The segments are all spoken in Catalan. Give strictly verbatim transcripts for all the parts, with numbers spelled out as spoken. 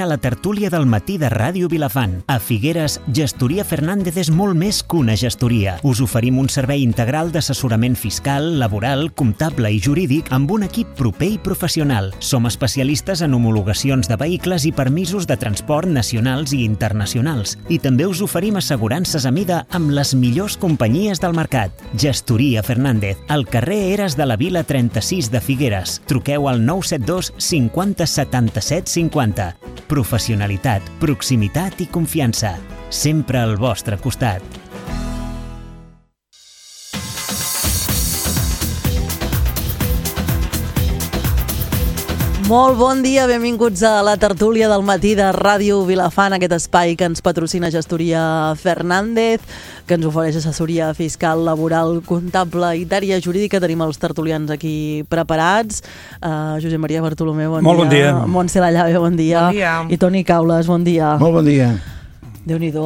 A la tertúlia del matí de Ràdio Vilafant. A Figueres, Gestoria Fernández és molt més que una gestoria. Us oferim un servei integral d'assessorament fiscal, laboral, comptable i jurídic amb un equip proper i professional. Som especialistes en homologacions de vehicles i permisos de transport nacionals i internacionals. I també us oferim assegurances a mida amb les millors companyies del mercat. Gestoria Fernández, al carrer Eres de la Vila trenta-sis de Figueres. Truqueu al nou set dos cinquanta setanta-set cinquanta. Professionalitat, proximitat i confiança. Sempre al vostre costat. Molt bon dia, benvinguts a la tertúlia del matí de Ràdio Vilafant, aquest espai que ens patrocina Gestoria Fernández, que ens ofereix assessoria fiscal, laboral, comptable i d'àrea jurídica. Tenim els tertulians aquí preparats. Uh, Josep Maria Bartolomeu, bon, Molt dia. bon dia. Montse Lallave, bon dia. Bon dia. I Toni Caules, bon dia. Molt bon dia. Déu-n'hi-do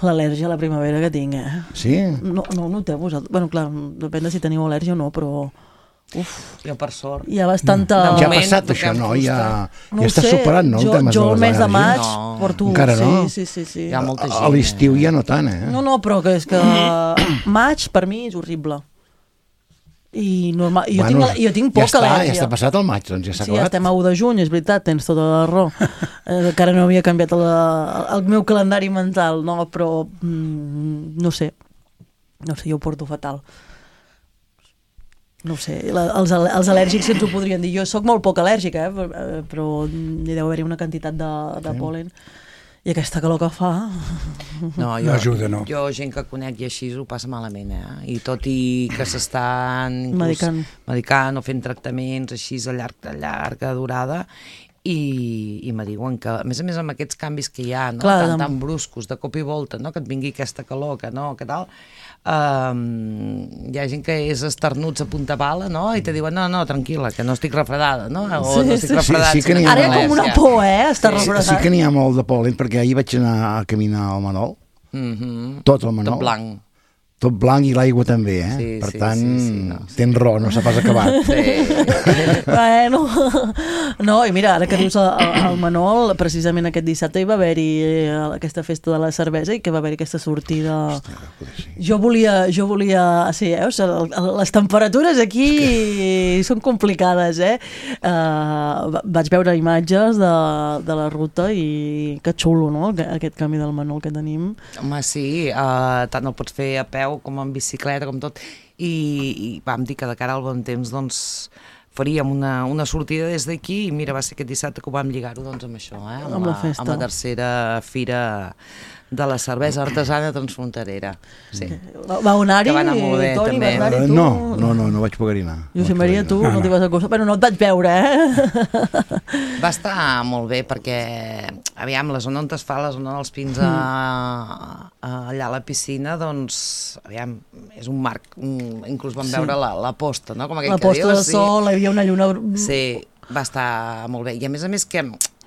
l'al·lèrgia a la primavera que tinc, eh? Sí? No, no ho noteu vosaltres? Bueno, clar, depèn de si teniu al·lèrgia o no, però... Uf, jo per sort. hi ha bastanta... No. Ja ha moment, passat això, no? Ja, No ja ho està sé, superat, no? Jo, el tema jo de el les mes de maig al·lèrgies? No. porto... Encara no? Sí, sí, sí, sí. Hi ha molta gent. A l'estiu ja no tant, eh? No, no, però que és que maig per mi és horrible. I normal, jo, Bueno, tinc, jo tinc poca ja està, al·lèrgia. ja està passat el maig, doncs ja s'ha Sí, ja acabat. estem a u de juny, és veritat, tens tota la raó. eh, encara no havia canviat el, el meu calendari mental, no, però mm, no sé. No sé, jo ho porto fatal. No ho sé, la, els, els al·lèrgics ens ho podrien dir. Jo sóc molt poc al·lèrgica, eh, però hi deu haver-hi una quantitat de, de pol·len. I aquesta calor que fa... No, jo, No ajuda, no. Jo, gent que conec i així, ho passa malament, eh? I tot i que s'estan inclús Medicant. medicant o fent tractaments així a, llarg, a llarga durada, i, i me diuen que, a més a més, amb aquests canvis que hi ha, no? Clar, tan, de- tan bruscos, de cop i volta, no? Que et vingui aquesta calor, que no, que tal... Um, hi ha gent que és esternuts a punta pala, no? I te diuen, no, no, tranquil·la, que no estic refredada, no? O Sí, no estic sí. refredada. Sí, sí que sinó n'hi ha Ara hi ha com una al·lèrgia. por, eh? Està Sí, refredat. sí que n'hi ha molt de pol·len, perquè ahir vaig anar a caminar al Manol, Mhm. tot el Manol. Tot blanc. Tot blanc i l'aigua també, eh? Sí, per sí, tant, sí, sí, no, sí. tens raó, no s'ha pas acabat. Sí. Bueno, no, i mira, ara que dius el, el Manol, precisament aquest dissabte hi va haver-hi eh, aquesta festa de la cervesa i que va haver-hi aquesta sortida... Jo volia, jo volia, sí, eh? O sigui, les temperatures aquí són complicades, eh? Uh, vaig veure imatges de, de la ruta i que xulo, no?, aquest canvi del Manol que tenim. Home, sí, uh, tant el pots fer a peu com en bicicleta, com tot. I, i vam dir que de cara al bon temps, doncs, faríem una, una sortida des d'aquí i mira, va ser aquest dissabte que ho vam lligar-ho doncs, amb això, eh? amb, Amb la la, festa. amb la tercera fira de la cervesa artesana transfronterera. Sí. Va, va anar-hi, Que va anar molt bé, Toni, també. vas anar-hi Eh, tu? no, no, no, no vaig poder anar. No Josep vaig Maria, poder tu anar. no, No, t'hi vas acostar. Bueno, no et vaig veure, eh? Va estar molt bé perquè, aviam, la zona on es fa, la zona dels pins a, a, allà a la piscina, doncs, aviam, és un marc, un, inclús vam Sí. veure la, la posta, no? Com aquell La que posta de dius, sol, hi havia una lluna... Sí, va estar molt bé. I a més a més que,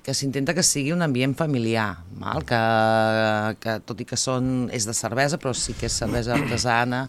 que s'intenta que sigui un ambient familiar, val? Que, que tot i que són, és de cervesa, però sí que és cervesa artesana,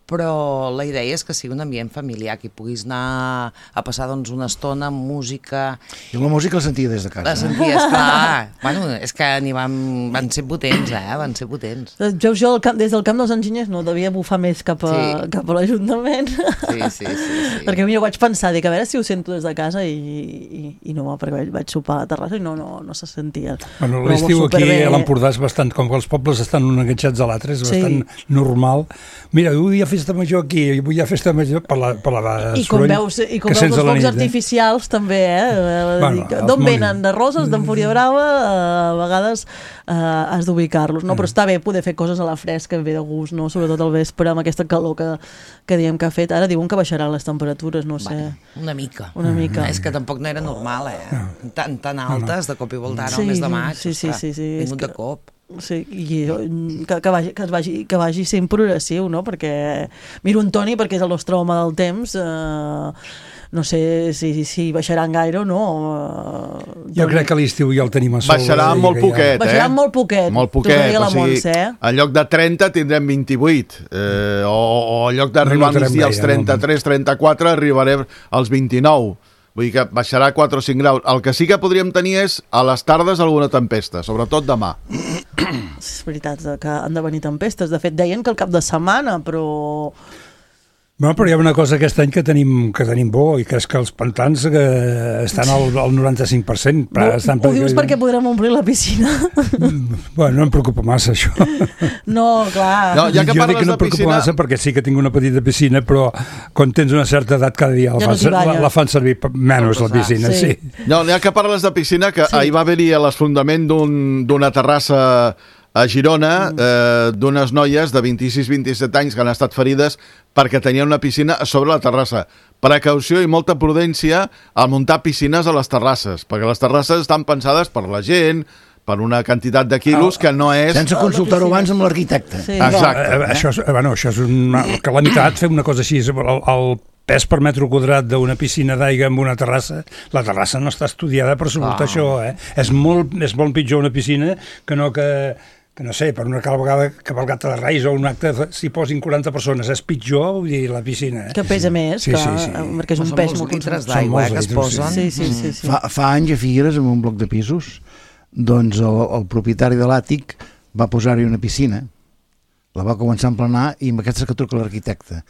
però la idea és que sigui un ambient familiar, que hi puguis anar a passar doncs, una estona amb música. I la música la sentia des de casa. La senties, clar. Bueno, és que n'hi van, van ser potents, eh? Van ser potents. Veus, jo al camp, des del camp dels enginyers no devia bufar més cap a, Sí. cap a l'Ajuntament. Sí, sí, sí. sí. Perquè mira, vaig pensar, dic, a veure si ho sento des de casa i, i, i no, perquè vaig, vaig sopar a la terrassa i no, no, no se sentia. Bueno, Però l'estiu aquí superbé. a l'Empordà és bastant, com que els pobles estan un enganxats a l'altre, és Sí. bastant normal. Mira, avui hi ha festa major aquí, avui hi ha festa major per la, per la I com soroll veus, i com que veus sents els a la focs nit, eh? artificials també, eh? Bueno, Dic, els d'on mòbils. venen? De Roses, d'Empúria Brava? Eh, a vegades eh, has d'ubicar-los, no? Però està bé poder fer coses a la fresca, ve de gust, no? Sobretot al vespre, amb aquesta calor que, que diem que ha fet. Ara diuen que baixaran les temperatures, no sé. Bueno, una mica. Una mica. És que tampoc no era normal, eh? Tan, tan altes, de cop i volta, ara, Sí, al mes de maig. sí, sí, sí, sí, és Vingut que- de cop. Sí, i que, que, vagi, que, es vagi, que vagi sent progressiu, no? Perquè miro en Toni, perquè és el nostre home del temps, eh, no sé si, si baixaran gaire o no. Eh, Jo crec que a l'estiu ja el tenim a sol. Baixarà eh, molt que ja- poquet, eh? Baixaran molt poquet, Molt t'ho poquet, deia la o sigui, Montse, eh? en lloc de trenta tindrem vint-i-vuit, eh, o, o en lloc d'arribar No al notarem migdia als gaire, no. trenta-tres trenta-quatre arribarem als vint-i-nou. Vull dir que baixarà quatre o cinc graus. El que sí que podríem tenir és a les tardes alguna tempesta, sobretot demà. És veritat que han de venir tempestes. De fet, deien que el cap de setmana, però... Bueno, però hi ha una cosa aquest any que tenim, que tenim bo, i que és que els pantans que estan al, al noranta-cinc per cent. No, estan ho dius perquè podrem omplir la piscina? Bueno, no em preocupa massa, això. No, clar. No, ja que jo parles dic que no de em preocupa piscina... massa perquè sí que tinc una petita piscina, però quan tens una certa edat cada dia la, Ja no fan, t'hi la, banyes. la fan servir per- menys la piscina, sí. Sí. No, ja que parles de piscina, que Sí. ahir va haver-hi l'esfondament d'un- d'una terrassa a Girona, Mm. eh, d'unes noies de vint-i-sis vint-i-set anys que han estat ferides perquè tenien una piscina a sobre la terrassa. Precaució i molta prudència al muntar piscines a les terrasses, perquè les terrasses estan pensades per la gent, per una quantitat de quilos que no és... Sense consultar-ho abans amb l'arquitecte. Sí. Exacte. Eh, això, és, bueno, això és una calamitat, fer una cosa així. El, el pes per metre quadrat d'una piscina d'aigua amb una terrassa, la terrassa no està estudiada per suportar Ah. això. Eh? És, molt, és molt pitjor una piscina que no que... que no sé, per una cavalgada, cavalgata de Reis o un acte, s'hi posin quaranta persones, és pitjor, vull dir, la piscina. Eh? Que pesa més, Sí, que, sí, sí. perquè és un Són pes molts molt litres consumit. d'aigua eh, molts que es litres, posen. Sí, sí, sí. sí. Fa, fa anys a Figueres, en un bloc de pisos, doncs el, el propietari de l'àtic va posar-hi una piscina, la va començar a emplenar i amb aquesta que truca l'arquitecte.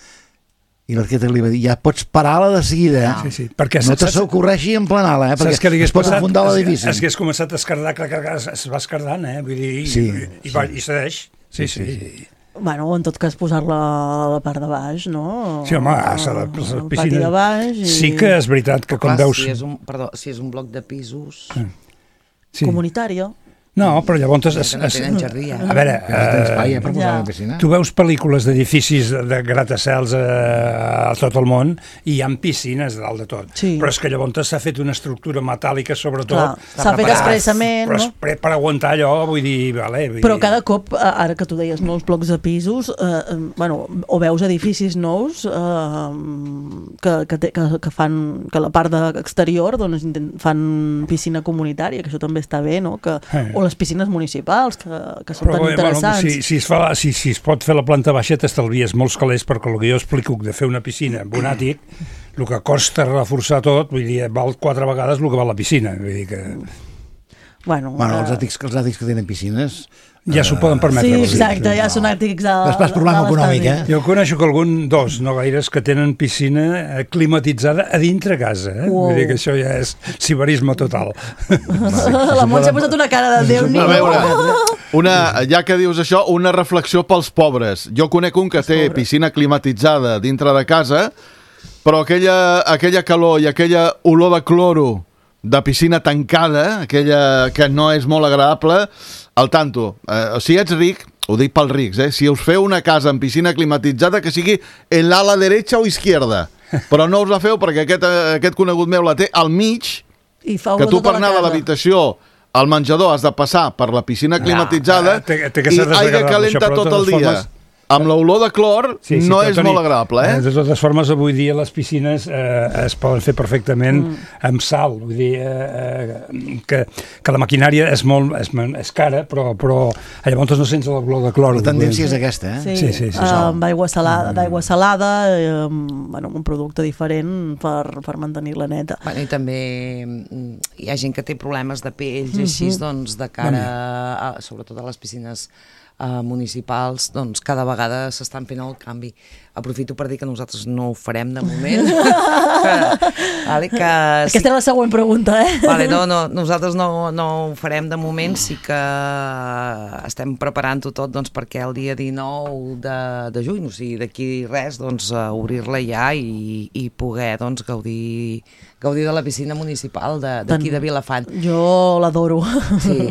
I l'arquitecte li va dir, ja pots parar-la de seguida, eh? Sí, sí, perquè No te saps- s'ocorreixi emplenar-la, eh? Saps Perquè què li hagués es pot passat? afundar Es- l'edifici. Es hagués començat a escardar, clar, clar, clar, es es va escardant, eh? Vull dir, i, Sí, i, va, i cedeix. Sí, sí. sí. Bueno, en tot cas posar-la a la part de baix, no? Sí, home, s'ha de- Al les pati piscines- de baix i... Sí que és veritat que quan Clar, veus... si és un, perdó, si és un bloc de pisos... Sí. Comunitària. No, però llavors... Es, Que no es, tenen jardí, ja. a veure, Que no tens espai, eh, eh, per posar Ja. la piscina. tu veus pel·lícules d'edificis de, de gratacels a, a tot el món i hi ha piscines dalt de tot. Sí. Però és que llavors s'ha fet una estructura metàl·lica, sobretot... Clar, s'ha fet preparat, expressament, però no? és pre- per aguantar allò, vull dir... Vale, vull Però dir, cada cop, eh, ara que tu deies nous blocs de pisos, eh, eh, bueno, o veus edificis nous eh, que, que, té, que, que fan que la part de exterior doncs, intent- fan piscina comunitària, que això també està bé, no? Que, Eh. o les piscines municipals, que, que són Però, tan bé, interessants. Bueno, si, si, es fa, si, si es pot fer la planta baixa t'estalvies molts calés, perquè el que jo explico de fer una piscina amb un àtic, el que costa reforçar tot, vull dir, val quatre vegades el que val la piscina. Vull dir que Bueno, Bueno, els eh, àtics, els àtics que tenen piscines... ja s'ho poden permetre. sí, vull dir. exacte, ja són àtics de... Després problema de econòmic, l'estalvi. eh? Jo coneixo que algun, dos, no gaires, que tenen piscina eh, climatitzada a dintre casa. Eh? Uau. Vull dir que això ja és ciberisme total. La Montse ha posat una cara de Déu A nhi veure, una, ja que dius això, una reflexió pels pobres. Jo conec un que té piscina climatitzada dintre de casa, però aquella, aquella calor i aquella olor de cloro de piscina tancada, aquella que no és molt agradable, al tanto. Eh, si ets ric, ho dic pels rics, eh? Si us feu una casa amb piscina climatitzada, que sigui en l'ala derecha o izquierda. Però no us la feu perquè aquest, aquest conegut meu la té al mig, I fa que olor tu tota per la anar de casa. l'habitació al menjador has de passar per la piscina climatitzada eh, té- té que i ser aigua desagradable, calenta això, però de tot el totes dia. formes- Amb l'olor de clor Sí, sí, no però, és Toni, molt agradable, eh? De totes formes, avui dia les piscines eh, es poden fer perfectament mm. amb sal. Vull dir eh, eh, que, que la maquinària és molt és, és cara, però, però llavors no sents l'olor de clor. La tendència és aquesta, eh? Sí, Sí, sí, sí, eh, sí. amb aigua salada, d'aigua salada, eh, amb, bueno, un producte diferent per, per mantenir-la neta. Bueno, i també mm, hi ha gent que té problemes de pells i així, doncs, de cara, a, sobretot a les piscines uh, municipals, doncs cada vegada s'estan fent el canvi. Aprofito per dir que nosaltres no ho farem de moment. vale, que sí, Aquesta era la següent pregunta, eh? vale, no, no, nosaltres no, no ho farem de moment, sí que estem preparant-ho tot doncs, perquè el dia dinou de, de juny, o sigui, d'aquí res, doncs, uh, obrir-la ja i, i poder doncs, gaudir, gaudir de la piscina municipal de- d'aquí de, de Vilafant. Jo l'adoro. Sí.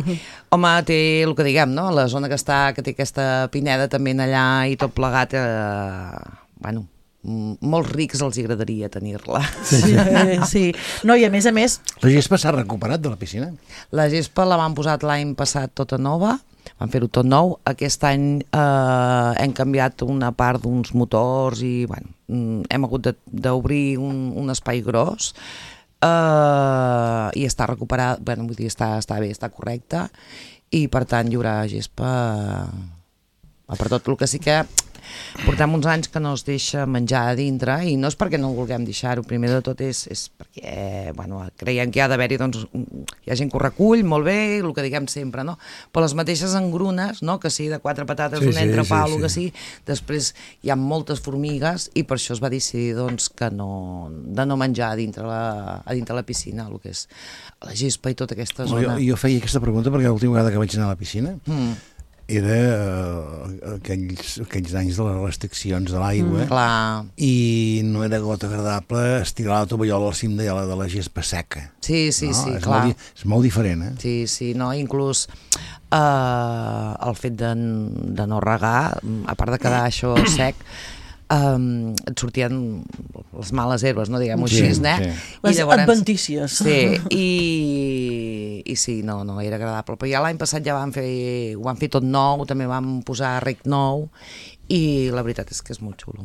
Home, té el que diguem, no? La zona que està, que té aquesta pineda també en allà i tot plegat, eh, bueno, m- molts rics els hi agradaria tenir-la. Sí, sí. No, i a més a més, La gespa s'ha recuperat de la piscina. La gespa la van posat l'any passat tota nova, van fer-ho tot nou. Aquest any eh, hem canviat una part d'uns motors i bueno, mm, hem hagut de- d'obrir un, un espai gros eh, i està recuperat, bueno, vull dir, està, està bé, està correcte i per tant hi haurà gespa eh, per tot. El que sí que portem uns anys que no es deixa menjar a dintre, i no és perquè no vulguem deixar-ho, primer de tot és, és perquè, bueno, creiem que hi ha d'haver-hi, doncs, hi ha gent que ho recull, molt bé, el que diguem sempre, no? Però les mateixes engrunes, no? Que sí, de quatre patates, sí, un entrepà, sí, sí, el que sí. sí, després hi ha moltes formigues, i per això es va decidir, doncs, que no, de no menjar a dintre la, a dintre la piscina, el que és la gespa i tota aquesta zona. Jo, jo feia aquesta pregunta perquè l'última vegada que vaig anar a la piscina Mm. era uh, aquells, aquells anys de les restriccions de l'aigua, Mm, clar. i no era gota agradable estirar la tovallola al cim de la, de la gespa seca. Sí, sí, no? sí, és clar. Molt, és molt diferent, eh? Sí, sí, no, inclús eh, el fet de, de no regar, a part de quedar això sec, um, et sortien les males herbes, no, diguem-ho Sí, així, eh? sí. Les adventícies. Sí, i, i sí, no, no, era agradable. Però ja l'any passat ja vam fer, ho vam fer tot nou, també vam posar rec nou, i la veritat és que és molt xulo.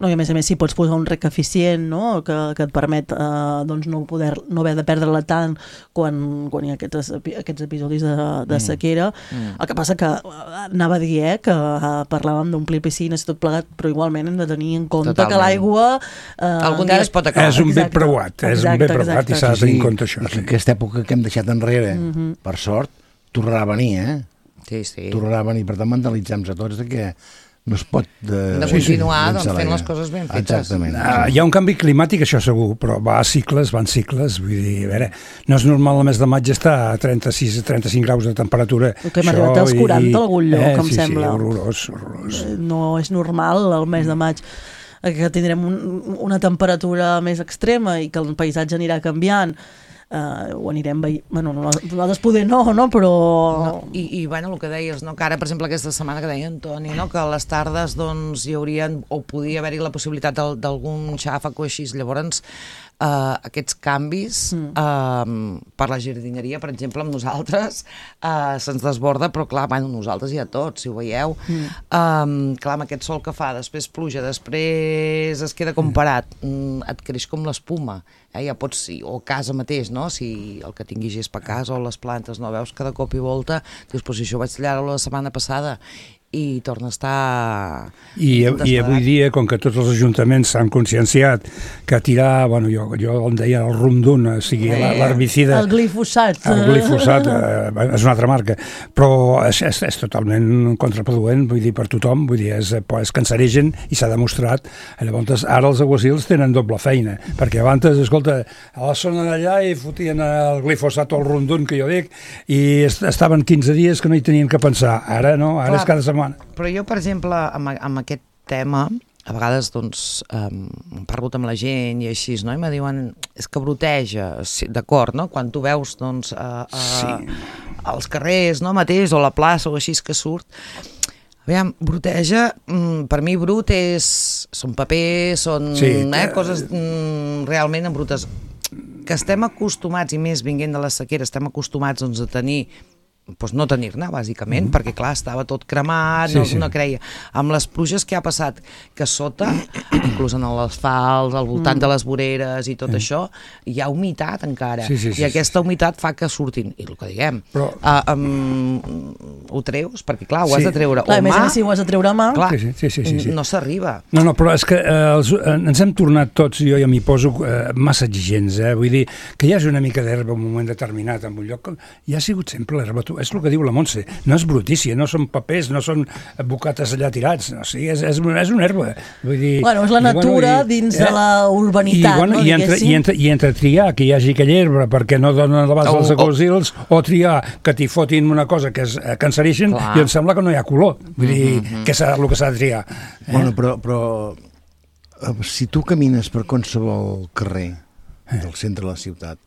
No, i a més a més, si pots posar un rec eficient, no? que, que et permet eh, doncs no, poder, no haver de perdre-la tant quan, quan hi ha aquests, aquests episodis de, de sequera. Mm. El que passa que eh, anava a dir eh, que eh, parlàvem d'omplir piscines i tot plegat, però igualment hem de tenir en compte Totalment. que l'aigua... Eh, Algun dia es pot acabar. És un bé Exacte. preuat, és Exacte, un bé preuat exacte. i s'ha de tenir en compte això. I que Sí. aquesta època que hem deixat enrere, Mhm. per sort, tornarà a venir, eh? Sí, sí. Tornarà a venir, per tant, mentalitzem-nos a tots de que no es pot... De, De continuar, sí, doncs, llençar fent l'aire. les coses ben fetes. Exactament. Uh, hi ha un canvi climàtic, això segur, però va a cicles, van cicles, vull dir, a veure, no és normal el mes de maig estar a trenta-sis a trenta-cinc graus de temperatura. Que hem arribat als quaranta a algun lloc, eh, em sí, sembla. Sí, horrorós, horrorós. No és normal el mes de maig que tindrem un, una temperatura més extrema i que el paisatge anirà canviant. Uh, ho anirem veient, bueno, nosaltres poder no, no? Però... No, i, i bueno, el que deies, no? Que ara, per exemple, aquesta setmana que deia Antoni, no? Que a les tardes doncs, hi haurien, o podia haver-hi la possibilitat d'al- d'algun xàfec o així, llavors eh, aquests canvis mm. eh, per la jardineria, per exemple, amb nosaltres eh, se'ns desborda, però clar, bueno, nosaltres ja tots, si ho veieu, mm. eh, clar, amb aquest sol que fa, després pluja, després es queda com parat, mm, et creix com l'espuma, eh? Ja pots, o casa mateix, no? Si el que tingui gespa a casa o les plantes no veus cada cop i volta, dius, però si això vaig tallar-ho la setmana passada i torna a estar... I, I avui dia, com que tots els ajuntaments s'han conscienciat que tirar, bueno, jo, jo em deia el rumdun, o sigui, Eh, l'herbicida... El glifosat. El glifosat eh, és una altra marca, però és, és, és totalment contraproduent, vull dir, per tothom, vull dir, és, és cancerigen i s'ha demostrat. Llavors, ara els aguacils tenen doble feina, perquè abans, escolta, a la zona d'allà hi fotien el glifosat o el rumdun, que jo dic, i est estaven quinze dies que no hi tenien que pensar. Ara no, ara Clar, és cada setmana. Però jo, per exemple, amb, amb aquest tema, a vegades, doncs, um, he parlat amb la gent i així, no? I me diuen, és que broteja, sí, d'acord, no? Quan tu veus, doncs, uh, uh, Sí. als carrers, no, mateix, o a la plaça, o així que surt, aviam, broteja, mm, per mi brut és, són papers, són Sí, eh, que- coses mm, realment embrutes, que estem acostumats, i més vinguent de la sequera, estem acostumats, doncs, a tenir doncs no tenir-ne, bàsicament, mm. perquè clar, estava tot cremat, Sí, no, sí. no creia. Amb les pluges que ha passat, que sota, inclús en l'asfalt, al voltant mm. de les voreres i tot mm. això, hi ha humitat encara, Sí, sí, sí, i aquesta sí. humitat fa que surtin, i el que diguem, Però- uh, um, ho treus, perquè clar, ho has Sí. de treure Clar, o a més a mà, més, si ho has de treure a mà... clar, Sí, sí, sí, sí, sí. no s'arriba. No, no, però és que eh, els, eh, ens hem tornat tots, jo ja m'hi poso, eh, massa exigents, eh? Vull dir, que hi hagi una mica d'herba en un moment determinat en un lloc, ja ha sigut sempre l'herba, tu- és el que diu la Montse, no és brutícia, no són papers, no són bocates allà tirats, no, o sigui, és, és, és una herba. Vull dir, Bueno, és la i, natura dins de la urbanitat, i, bueno, no, i, entre, diguéssim. i, entre, I entre triar que hi hagi aquella herba perquè no donen l'abast O- als o- aguacils, o triar que t'hi fotin una cosa que és eh, cancerigen, Clar. i em sembla que no hi ha color. Vull dir, Mhm. que serà el que s'ha de triar. Eh? Bueno, però, però eh, si tu camines per qualsevol carrer del centre de la ciutat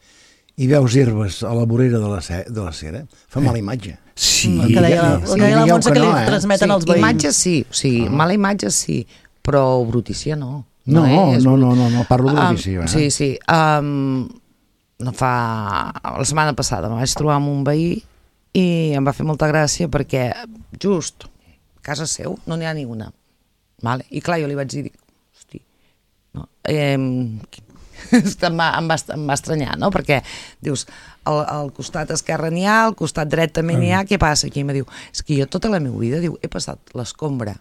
i veus herbes a la vorera de la, ce de la cera, fa mala imatge. Sí, El que deia la, Sí, el que deia la digueu Montse, que que li no, eh? transmeten els Sí, veïns. imatge sí, o sigui, Ah. mala imatge sí, però brutícia no. No, no, és no, no, no, no parlo de Um, l'edició. Eh? sí, sí. Um, no fa... La setmana passada me vaig trobar amb un veí i em va fer molta gràcia perquè just a casa seu no n'hi ha ni una. Vale? I clar, jo li vaig dir, dic, hosti, no, eh, em va, em, va, em va estranyar, no? Perquè dius, al, al costat esquerre n'hi ha, al costat dret també n'hi ha, què passa aquí? I em diu, és que jo tota la meva vida, diu, he passat l'escombra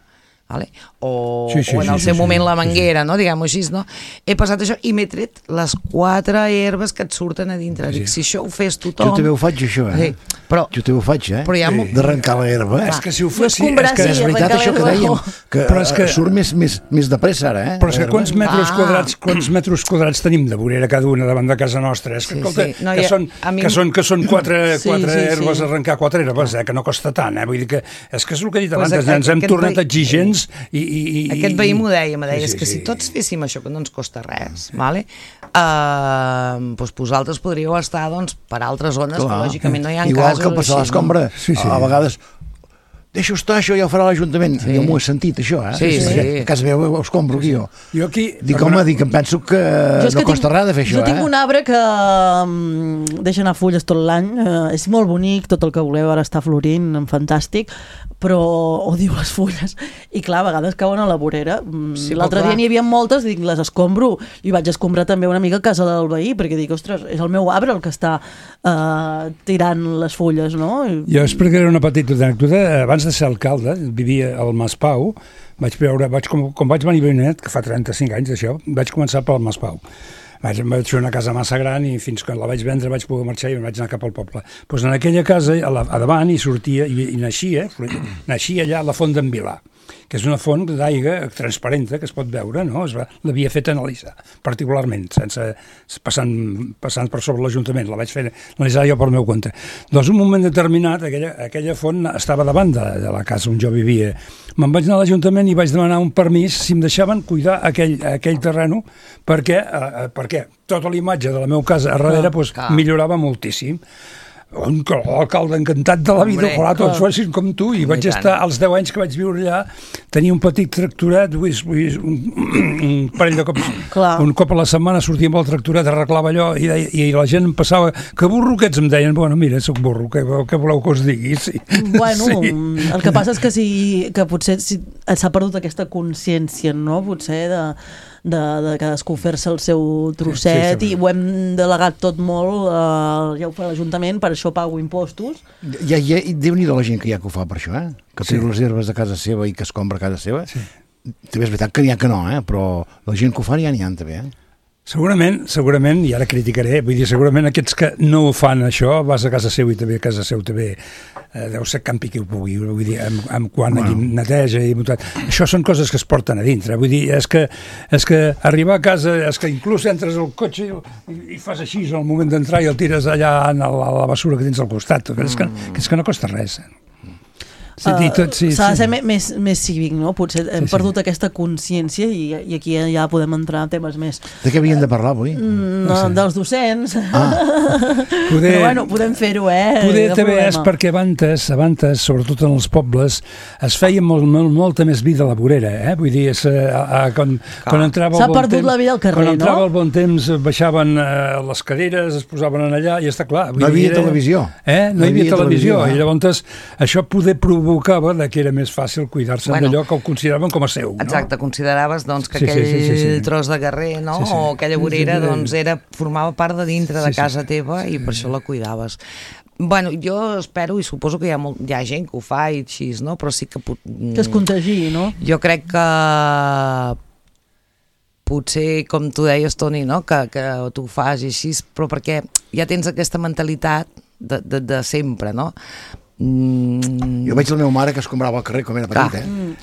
vale? o, sí, sí, o en el sí, seu sí, moment sí, la manguera, sí, sí. no? Diguem-ho així, no? He passat això i m'he tret les quatre herbes que et surten a dintre. Sí. Dic, si això ho fes tothom... Jo també ho faig, això, eh? Sí, però, Jo també ho faig, eh? però hi ha... Sí. D'arrencar la herba. És que si ho Jo fos... Sí, escombrar, és que sí, És veritat arrencar això que l'herba. dèiem, que, Però és que- surt més, més, més de pressa ara, eh? Però és que l'herba. quants metres Ah. quadrats, quants metres quadrats tenim de vorera cada una davant de casa nostra? És que, Sí, escolta, sí. No, que, ja- són, a mi- que, són, que són quatre, Sí, quatre sí, herbes, sí. arrencar quatre herbes, eh? Que no costa tant, eh? Vull dir que és que és el que he dit Pues abans, aquest- ens hem aquest tornat veí- exigents i... i, i Aquest veí m'ho deia, me deia, Sí, és sí, que si sí. tots féssim això, que no ens costa res, vale? uh, doncs vosaltres podríeu estar doncs, per altres zones, Clar. que lògicament no hi ha Igual casos que passar així, l'escombra, Sí, sí. a vegades deixa estar, això ja ho farà l'Ajuntament. Sí. Jo m'ho he sentit, això, eh? Sí, sí. A casa meva ho escombro aquí, jo. Jo aquí... Dic, home, dic, em penso que Jo és no que costa tinc- res de fer això, Jo tinc eh? un arbre que um, deixa anar fulles tot l'any, uh, és molt bonic, tot el que voleu, ara està florint, fantàstic, però odio les fulles. I clar, a vegades cauen a la vorera. Mm, Sí, L'altre però dia clar. n'hi havia moltes, dic, les escombro, i vaig escombrar també una mica a casa del veí, perquè dic, ostres, és el meu arbre el que està uh, tirant les fulles, no? I, Jo explicaré una petita anècdota. Abans de ser alcalde, vivia al Mas Pau, vaig veure, vaig, com, com vaig venir a Benet, que fa trenta-cinc anys d'això, vaig començar pel Mas Pau. Vaig, em vaig fer una casa massa gran i fins que la vaig vendre vaig poder marxar i em vaig anar cap al poble. Pues en aquella casa, a, la, a davant, hi sortia, i, i naixia, naixia allà la font d'en Vilà, que és una font d'aigua transparenta que es pot veure, no? Es va, l'havia fet analitzar, particularment, sense passant, passant per sobre l'Ajuntament, la vaig fer analitzar jo pel meu compte. Doncs un moment determinat, aquella, aquella font estava davant de, de la casa on jo vivia. Me'n vaig anar a l'Ajuntament i vaig demanar un permís si em deixaven cuidar aquell, aquell terreno perquè, eh, perquè tota la imatge de la meva casa a darrere pues, clar. millorava moltíssim. Un alcalde encantat de la vida, Hombre, ojalà tots clar. fossin com tu, i I vaig tant. estar, als deu anys que vaig viure allà, tenia un petit tractoret, vull, vull, un, un parell de cops, Clar. un cop a la setmana sortia amb el tractoret, arreglava allò, i, deia, i la gent em passava, que burro que ets, em deien, bueno, mira, soc burro, què, què voleu que us digui? Sí. Bueno, Sí. el que passa és que, si, que potser si, s'ha perdut aquesta consciència, no? Potser de, de, de cadascú fer-se el seu trosset, Sí, sí, sí. i ho hem delegat tot molt, eh, ja ho fa l'Ajuntament, per això pago impostos. Ja, ja, Déu-n'hi-do la gent que hi ha que ho fa per això, eh? Que Sí. treu les herbes de casa seva i que escombra a casa seva. Sí. També és veritat que n'hi ha que no, eh? Però la gent que ho fa ja n'hi ha, també, eh? Segurament, segurament, i ara criticaré, vull dir, segurament aquests que no ho fan això, vas a casa seu i també a casa seu també eh, deu ser campi qui ho pugui, vull dir, amb, amb quan bueno. neteja i tot. Això són coses que es porten a dintre, vull dir, és que, és que arribar a casa, és que inclús entres al cotxe i, i fas així al moment d'entrar i el tires allà a la, a la basura que tens al costat, mm. és, que, que és que no costa res. Sí, i tot, sí, S'ha de sí. ser me- més, més cívic, no? Potser hem Sí, sí. perdut aquesta consciència i, i aquí ja podem entrar en temes més De què havíem de parlar avui? mm, no, dels docents. Ah, Poder, Però bueno, podem fer-ho, eh? Poder No també és problema. perquè abans, abans, sobretot en els pobles, es feia molt, molt, molta més vida a la vorera, eh? Vull dir, és, eh, a, a, quan, quan entrava S'ha el bon perdut temps, la vida al carrer, quan entrava no? el bon temps, baixaven eh, les caderes, es posaven en allà, i està clar. vull No hi havia dir, era- televisió. Eh? No, No hi havia, televisió. eh? I llavors això poder provocava de que era més fàcil cuidar-se Bueno. d'allò que ho consideraven com a seu. No? Exacte, consideraves doncs, que Sí, sí, aquell sí, sí, sí. tros de carrer, no? Sí, sí. O aquella vorera Sí, sí, sí. doncs, era, formava part de dintre de Sí, sí. casa teva i per això la cuidaves. Bueno, jo espero i suposo que hi ha, molt, hi ha gent que ho fa i així, no? Però sí que... pot- Que es contagi, no? Jo crec que potser, com tu deies, Toni, no? que, que tu ho fas i així, però perquè ja tens aquesta mentalitat de, de, de sempre, no? Mm, jo veig la meva mare que escombrava al carrer com era petit, eh?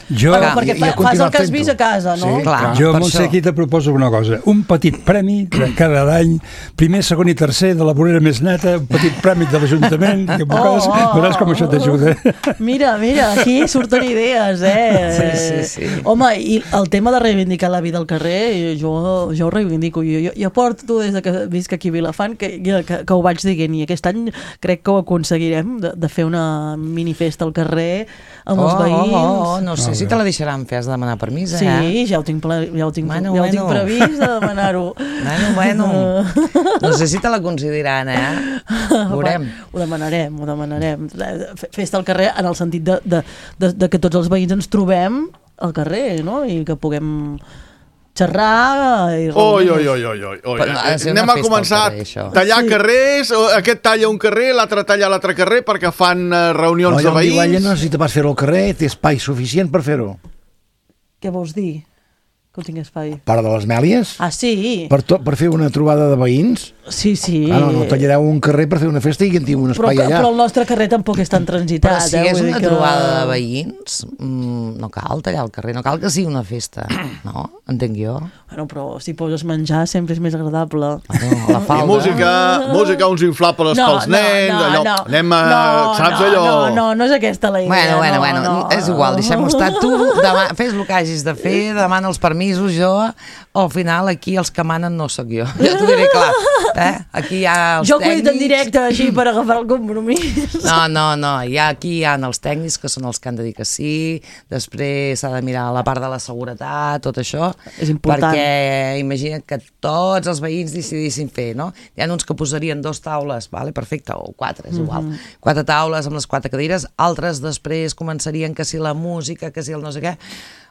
Jo, Bueno, Clar, perquè i- i fa, ha fas continuat el que has fent-ho. vist a casa, no? Sí, clar. Jo, per Montse, això. aquí te proposo una cosa. Un petit premi de cada any, primer, segon i tercer de la vorera més neta, un petit premi de l'Ajuntament, i oh, Oh, oh, veuràs com això t'ajuda. Mira, mira, aquí surten idees, eh? Sí, sí, sí. Home, i el tema de reivindicar la vida al carrer, jo, jo ho reivindico. Jo, jo, jo porto des de que visc aquí a Vilafant que, que, que ho vaig dient, i aquest any crec que ho aconseguirem, de, de fer una minifesta al carrer amb els oh, veïns. Oh, oh, oh, no sé Molt si bé. te la deixaran fer, has de demanar permís, eh? Sí, ja ho tinc, ple, ja ho tinc, Bueno, ja ho tinc bueno. previst de demanar-ho. Bueno, bueno. No sé si te la concediran, eh? Veurem. Ho demanarem, ho demanarem. Fe- Festa al carrer en el sentit de, de, de, de que tots els veïns ens trobem al carrer, no? I que puguem xerrar i Oi, reunir-nos. oi, oi, oi, oi. oi. Però ha de ser Anem una a festa començar al carrer, a això. tallar Sí. carrers, o aquest talla un carrer, l'altre talla l'altre carrer, perquè fan eh, reunions No, de allò on diu ella veïns. no necessita pas fer-ho al carrer, té espai suficient per fer-ho. Què vols dir? Que ho tinc espai. Part de les Mèlies? Ah, sí? Per, to, per fer una trobada de veïns? Sí, sí. Ah, no, no, tallareu un carrer per fer una festa i que en tingui un Però, espai allà. però el nostre carrer tampoc és tan transitat. Però si eh? és Vull dir una que... trobada de veïns, mmm, no cal tallar el carrer, no cal que sigui una festa, no? Entenc jo. Bueno, però si poses menjar sempre és més agradable. Bueno, la I falda. música, música, uns inflables No, pels no, nens, no, allò, no. anem a... No, saps no, allò? No, no, no és aquesta la idea. Bueno, bueno, no, bueno, no, és igual, deixem-ho estar. Tu demà, fes el que hagis de fer, demana els permisos, jo, al final aquí els que manen no sóc jo. Ja t'ho diré clar. Eh? Aquí hi ha els Jo que ho he dit en tècnics. directe així per agafar el compromís. No, no, no, hi ha, aquí hi ha els tècnics que són els que han de dir que sí, després s'ha de mirar la part de la seguretat, tot això. És important. Perquè imagina't que tots els veïns decidissin fer, no? Hi ha uns que posarien dos taules, vale, perfecte, o quatre, és igual. Mhm. Quatre taules amb les quatre cadires, altres després començarien que si la música, que si el no sé què.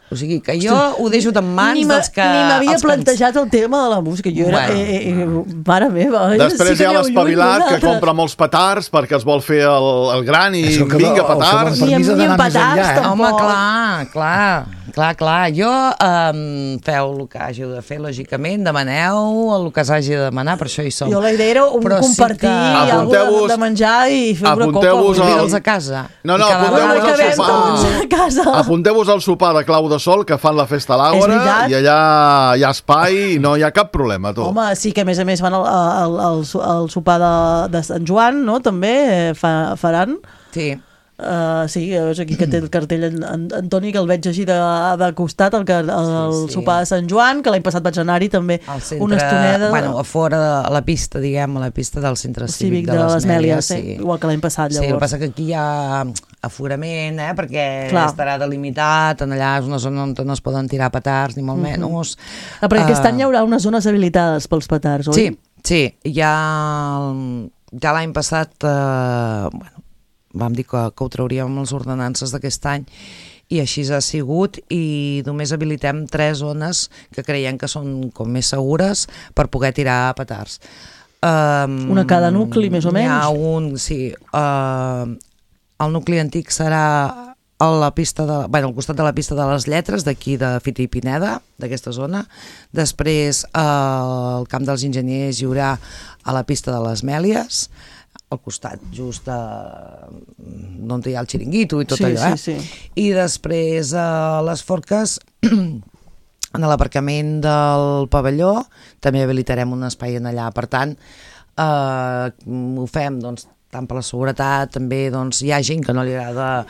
O sigui, que jo ho deixo en mans Ni m'a- dels que... Ni m'havia els que ens- plantejat el tema de la música. Jo era... Bueno. Eh, eh, eh, mare meva. Després sí hi ha aneu lluny l'espavilat que vosaltres. compra molts petards perquè es vol fer el, el gran i És que vinga, el- el que petards. vol Ni amb- permís ha ni amb d'anar més petards, enllà, eh? tampoc. Home, clar, clar, clar, clar. Jo, um, feu el que hàgiu de fer, lògicament, demaneu el que s'hagi de demanar, per això hi som. Jo la idea era un Però sí compartir que- alguna de, Apunteu-vos- de menjar i fer una copa. apunteu-vos vull dir, al- Convida'ls a casa. No, no, I cada apunteu-vos vegada al que sopar. vam a casa. Apunteu-vos al sopar de Clau de Sol que fan la festa a És l'Àgora veritat. i allà hi ha espai i no hi ha cap problema, tu. Home, sí que a més a més van al, al, al, al sopar de, de Sant Joan, no? També eh, fa, faran. Sí. Uh, sí, veus aquí que té el cartell en, en, Antoni, que el veig així de, de costat, el, que- el, el Sí, sí. sopar de Sant Joan, que l'any passat vaig anar-hi també Al centre, una estoneda. bueno, a fora de a la pista, diguem, a la pista del centre cívic, cívic de, les Mèlies, sí. sí. Igual que l'any passat, Sí, el que llavors. passa que aquí hi ha aforament, eh, perquè Clar. estarà delimitat, en allà és una zona on no es poden tirar petards, ni molt Mhm. menys. Ah, perquè aquest Ah, any hi haurà unes zones habilitades pels petards, oi? Sí, sí, ja, ja l'any passat eh, bueno, vam dir que, que ho trauríem amb les ordenances d'aquest any i així ha sigut i només habilitem tres zones que creiem que són com més segures per poder tirar petards. Um, Una a cada nucli, més o Hi ha menys? un, sí. Uh, el nucli antic serà a la pista de, bueno, al costat de la pista de les Lletres, d'aquí de Fita i Pineda, d'aquesta zona. Després eh, al Camp dels Enginyers hi haurà a la pista de les Mèlies, al costat just de, on hi ha el xiringuito i tot Sí, allò, eh? sí, sí. I després a les Forques, en l'aparcament del pavelló, també habilitarem un espai en allà. Per tant, eh, ho fem, doncs, tant per la seguretat, també doncs, hi ha gent que no li agrada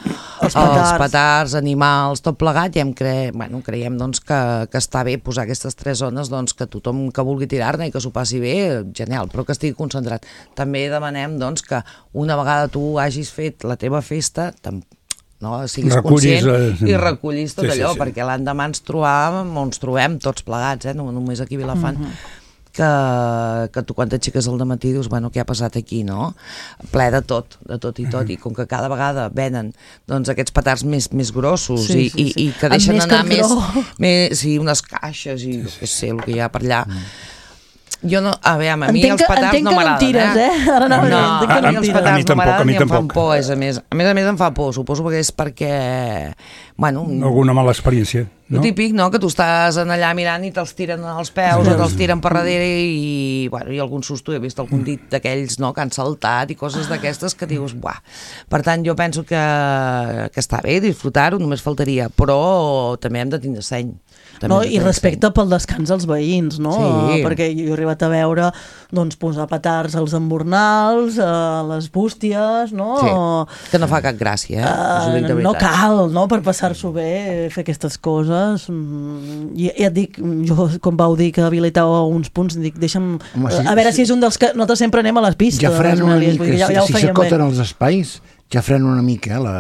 Els els petards. petards, animals, tot plegat, i hem cre... bueno, creiem doncs, que, que està bé posar aquestes tres zones, doncs, que tothom que vulgui tirar-ne i que s'ho passi bé, genial, però que estigui concentrat. També demanem doncs, que una vegada tu hagis fet la teva festa, no, siguis Recullis, conscient eh, i recollis tot sí, sí, allò, sí. perquè l'endemà ens trobàvem, ens trobem tots plegats, eh, no només aquí a Vilafant, que, que tu quan t'aixeques al dematí dius, bueno, què ha passat aquí, no? Ple de tot, de tot i tot, i com que cada vegada venen doncs, aquests petards més, més grossos Sí, i, sí, sí. i, i que Amb deixen més anar més, cartró. més, sí, unes caixes i jo què sé, el que hi ha per allà. Jo no, a veure, a mi Entenc els que- petards entenc no que no en m'agraden, tires, eh? Ara anava a dir, no, entenc que a no mi en els tires. petards A mi no tampoc, a m'agraden mi ni em fan tampoc. por, és a més. A més a més em fa por, suposo que és perquè, bueno, Alguna mala experiència, no? no? Típic, no?, que tu estàs en allà mirant i te'ls tiren als peus o te'ls tiren per darrere i, bueno, i algun susto, he vist algun dit d'aquells, no?, que han saltat i coses d'aquestes que dius, buah. Per tant, jo penso que, que està bé disfrutar-ho, només faltaria, però també hem de tindre seny. També No, hem de i tenir respecte pel descans als veïns, no? Sí. Perquè jo he arribat a veure doncs, posar petards als embornals, a les bústies, no? seny. Sí, que no fa cap gràcia, eh? Us ho dic de Uh, no veritat. cal, no?, per passar-s'ho bé, fer aquestes coses. Mm, I ja et dic, jo quan vau dir que habilitàveu uns punts, dic, deixa'm... Home, sí, a veure sí. si és un dels que... Nosaltres sempre anem a les pistes. Ja a les frenen una Mèlies, mica, vull dir, ja, ja ho si feien s'acoten bé. els espais, ja frenen una mica eh, la,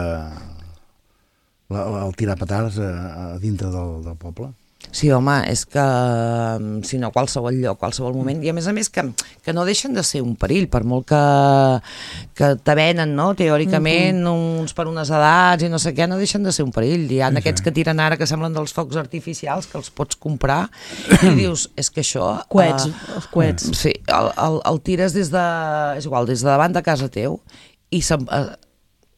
la, la, el tirar petards a, a dintre del, del poble. Sí, home, és que mm, si no, qualsevol lloc, qualsevol moment, i a més a més que, que no deixen de ser un perill, per molt que, que te venen, no?, teòricament, uh -huh. uns per unes edats i no sé què, no deixen de ser un perill. Hi ha Sí, aquests sí. que tiren ara que semblen dels focs artificials, que els pots comprar, i dius, és que això... Coets, eh, els coets. Sí, el, el, el tires des de... és igual, des de davant de casa teu, i se'n... Eh,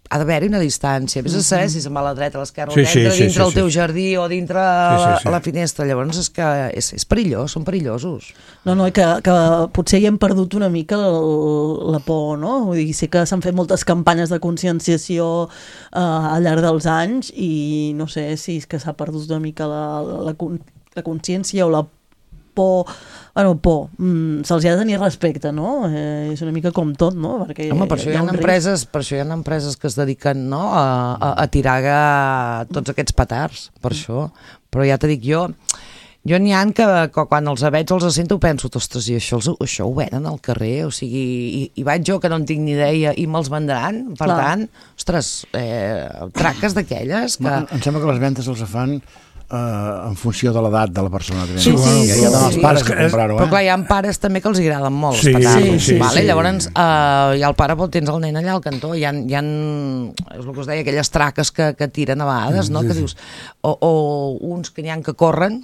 ha d'haver-hi una distància. Vés a saber si se'n va a la dreta, a l'esquerra, Sí, o sí, dintre, sí, dintre sí, el teu sí. jardí o dintre Sí, sí, sí. la finestra. Llavors és que és, és perillós, són perillosos. No, no, que, que potser hi hem perdut una mica el, la por, no? Vull dir, sé que s'han fet moltes campanyes de conscienciació eh, al llarg dels anys i no sé si és que s'ha perdut una mica la, la, la, con- la consciència o la por, bueno, por, mm, se'ls ha de tenir respecte, no? Eh, és una mica com tot, no? Perquè Home, per això hi ha un risc. empreses, per això hi ha empreses que es dediquen, no, a, a, a tirar a tots aquests petards, per això. Però ja t'he dit jo, jo n'hi ha que, que quan els veig els sento penso, ostres, i això, els, això ho venen al carrer, o sigui, i, i vaig jo que no en tinc ni idea i me'ls vendran, per Clar. tant, ostres, eh, traques d'aquelles que... Em sembla que les ventes els fan Uh, en funció de l'edat de la persona que ven. Sí, sí, ja sí, hi ha els sí. pares És que a comprar-ho, Però eh? clar, hi ha pares també que els agraden molt Sí, els petards, sí, sí, vale? sí. Llavors uh, hi ha el pare, però tens el nen allà al cantó, hi ha, hi ha és el que us deia, aquelles traques que, que tiren a vegades, no? Que dius, o, o uns que n'hi ha que corren,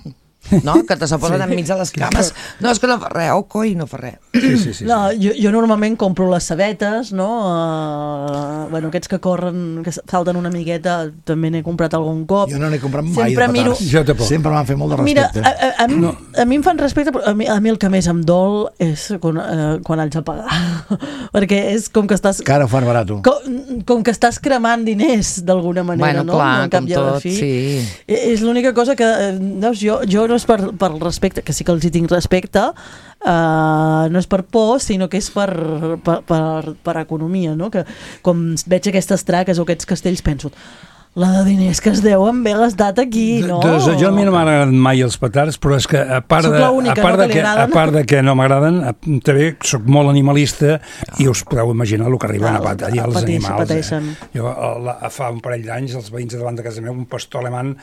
no? Que te se posen sí. enmig de les cames, no, és que no fa res, oh coi, no fa res. Sí, sí, sí. No, jo, jo normalment compro les sabetes, no? Uh, bueno, aquests que corren, que salten una miqueta, també n'he comprat algun cop. Jo no n'he comprat mai Sempre de miro- petards. Jo tampoc. Sempre m'han fet molt de Mira, respecte. a, a, a, mi, no. a mi em fan respecte, però a mi, a mi el que més em dol és quan, eh, quan haig de pagar. Perquè és com que estàs... Que ara ho fan barat. Com, com que estàs cremant diners d'alguna manera, Bueno, no? clar, Al cap com i a la tot, fi. sí. I- És l'única cosa que, eh, veus, jo, jo no és per, per respecte, que sí que els hi tinc respecte, uh, no és per por, sinó que és per, per, per, per economia, no? Que com veig aquestes traques o aquests castells penso, la de diners que es deuen haver gastat aquí, no? Doncs jo a mi no m'agraden mai els petards, però és que a part Soc de, l'única, a part no, de que li que, a agraden. part de que no m'agraden, eh, també soc molt animalista i us podeu imaginar el que arriben Clar, a patir els pateixen, animals. pateixen. Eh? Jo eh, la, fa un parell d'anys els veïns de davant de casa meva, un pastor alemany,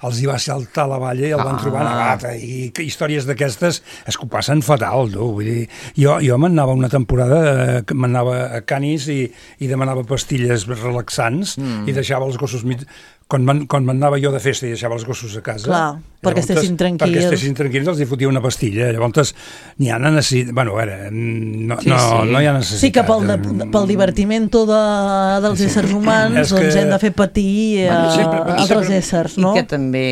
els hi va saltar a la valla i el van Ah. trobar negat. I que històries d'aquestes és que ho passen fatal, tu. Vull dir, jo, jo m'anava una temporada, eh, que m'anava a Canis i, i demanava pastilles relaxants mm. i deixava els gossos mig... Quan man, quan m'anava jo de festa i deixava els gossos a casa... Clar, perquè llavors, estessin tranquils. Perquè estessin tranquils, els hi fotia una pastilla. Llavors, n'hi ha necessitat... Bueno, a veure, no, Sí, no, sí. no hi ha necessitat. Sí que pel, de, pel divertimento de, dels éssers humans És doncs que- hem de fer patir a Bueno, sempre- altres sempre- éssers, I no? que també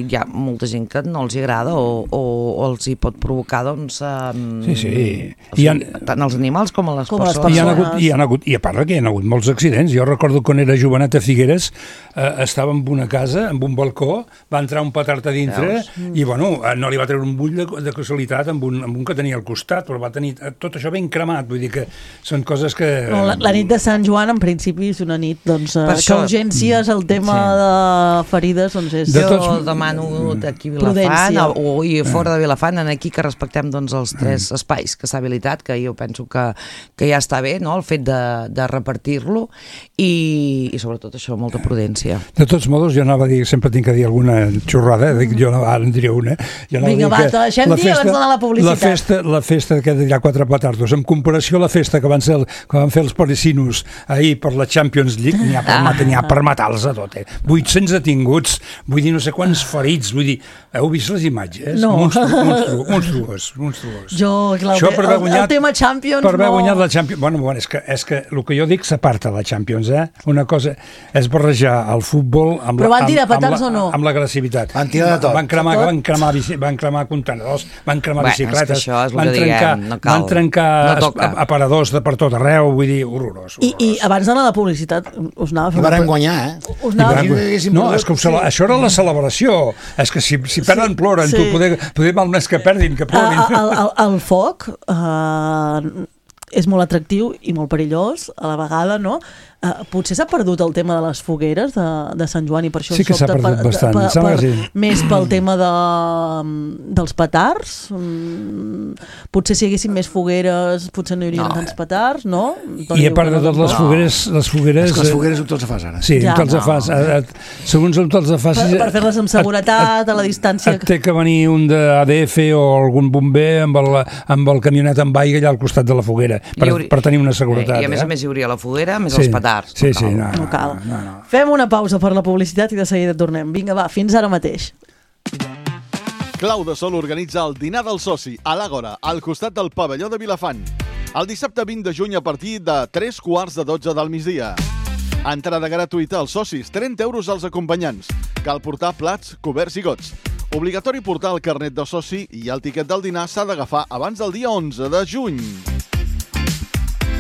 hi ha molta gent que no els hi agrada o, o, o els hi pot provocar, doncs... Um, Sí, sí. O sigui, Hi han- tant els animals com a les Com a les persones. I, hi ha persones. hagut, hi ha hagut, I a part que hi ha hagut molts accidents. Jo recordo quan era jovenet a Figueres, eh, estava en una casa, amb un balcó, va entrar un petard a dintre Veus? i, bueno, eh, no li va treure un bull de, de casualitat amb un, amb un que tenia al costat, però va tenir eh, tot això ben cremat. Vull dir que són coses que... No, la, la nit de Sant Joan, en principi, és una nit doncs, eh, Per que això- urgències, el tema Sí. de ferides, doncs és... De Jo tots- demano aquí a Prudència. Vilafant o, o i fora de Vilafant, en aquí que respectem doncs, els tres espais que s'ha habilitat, que jo penso que, que ja està bé, no? El fet de, de repartir-lo i, i sobretot això, molta prudència. De tots modos, jo anava a dir, sempre tinc que dir alguna xorrada, dic, jo ara en diré una. Jo anava a Vinga, dir va, que te deixem la dir abans d'anar a la publicitat. La festa, la festa que hi ha quatre petardos, en comparació a la festa que van, ser, que van fer els parisinos ahir per la Champions League, n'hi ha per, Ah. matar, n'hi ha per matar-los a tot, eh? vuit-cents detinguts, vull dir, no sé quants ferits, vull dir, heu vist les imatges? No. Monstru, monstru, monstruós, monstruós. Jo, clar, Això per haver el, guanyat- el tema Champions per haver no... guanyat la Champions... Bueno, bueno, és que, és que el que jo dic s'aparta la Champions, eh? Una cosa és barrejar el futbol amb Però la, van tirar amb, amb, petards la, o no? amb l'agressivitat. Van tirar de tot. Van cremar, De tot? van cremar, bici, van cremar contenedors, van cremar Bueno, és que bicicletes, això és el van que trencar, diguem, no cal. van trencar No es- toca. aparadors de per tot arreu, vull dir, horrorós. I, I abans d'anar a la publicitat, us anava a fer I una varen pre- guanyar, eh? Us I anava... van- si haguéssim no, perdut, és que ho cele- això era la celebració. És que si, si perden, ploren. sí. Tu, poder, poder mal més que perdin, que plorin. El, el, el, el foc eh, és molt atractiu i molt perillós a la vegada, no? Uh, potser s'ha perdut el tema de les fogueres de, de Sant Joan i per això Sí que s'ha sobta perdut bastant, em sembla que sí. més pel tema de, dels petards. Mm, potser si hi haguessin més fogueres potser no hi haurien No. tants petards, no? I a part de tot, les fogueres... Les fogueres És que les eh, fogueres ho tots fas ara. Sí, Ja. ja, te'ls No. fas. A, a, segons on te'ls fas... Per, per fer-les amb seguretat, a la distància... Et té que venir un de A D F o algun bomber amb el, amb el camionet amb aigua allà al costat de la foguera per, Hi hauria- per tenir una seguretat. I a més eh? a més hi hauria la foguera, més Sí. els petards. Sí, no sí, cal. no, No cal. no, no. Fem una pausa per la publicitat i de seguida tornem. Vinga, va, fins ara mateix. Clau de Sol organitza el dinar del soci a l'Àgora, al costat del pavelló de Vilafant. El dissabte vint de juny a partir de tres quarts de dotze del migdia. Entrada gratuïta als socis, trenta euros als acompanyants. Cal portar plats, coberts i gots. Obligatori portar el carnet de soci i el tiquet del dinar s'ha d'agafar abans del dia onze de juny.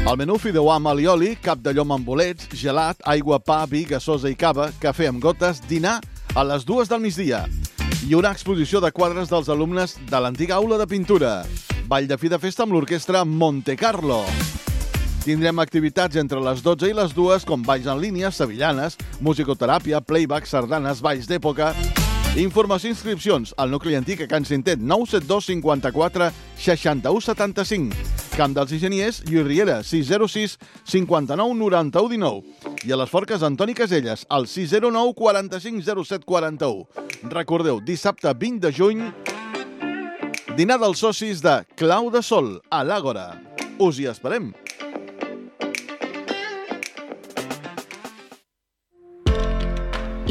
El menú fideuà amb alioli, cap de llom amb bolets, gelat, aigua, pa, vi, gasosa i cava, cafè amb gotes, dinar a les dues del migdia. I una exposició de quadres dels alumnes de l'antiga aula de pintura. Ball de fi de festa amb l'orquestra Monte Carlo. Tindrem activitats entre les dotze i les dues, com balls en línia, sevillanes, musicoteràpia, playback, sardanes, balls d'època. Informació i inscripcions al nucli antic a Can Cintet, nou set dos cinquanta-quatre seixanta-u setanta-cinc. Camp dels Enginyers, Lluís Riera, sis zero sis cinquanta-nou noranta-u dinou. I a les Forques, Antoni Caselles, al sis zero nou quaranta-cinc zero set quaranta-u. Recordeu, dissabte vint de juny, dinar dels socis de Clau de Sol, a l'Àgora. Us hi esperem.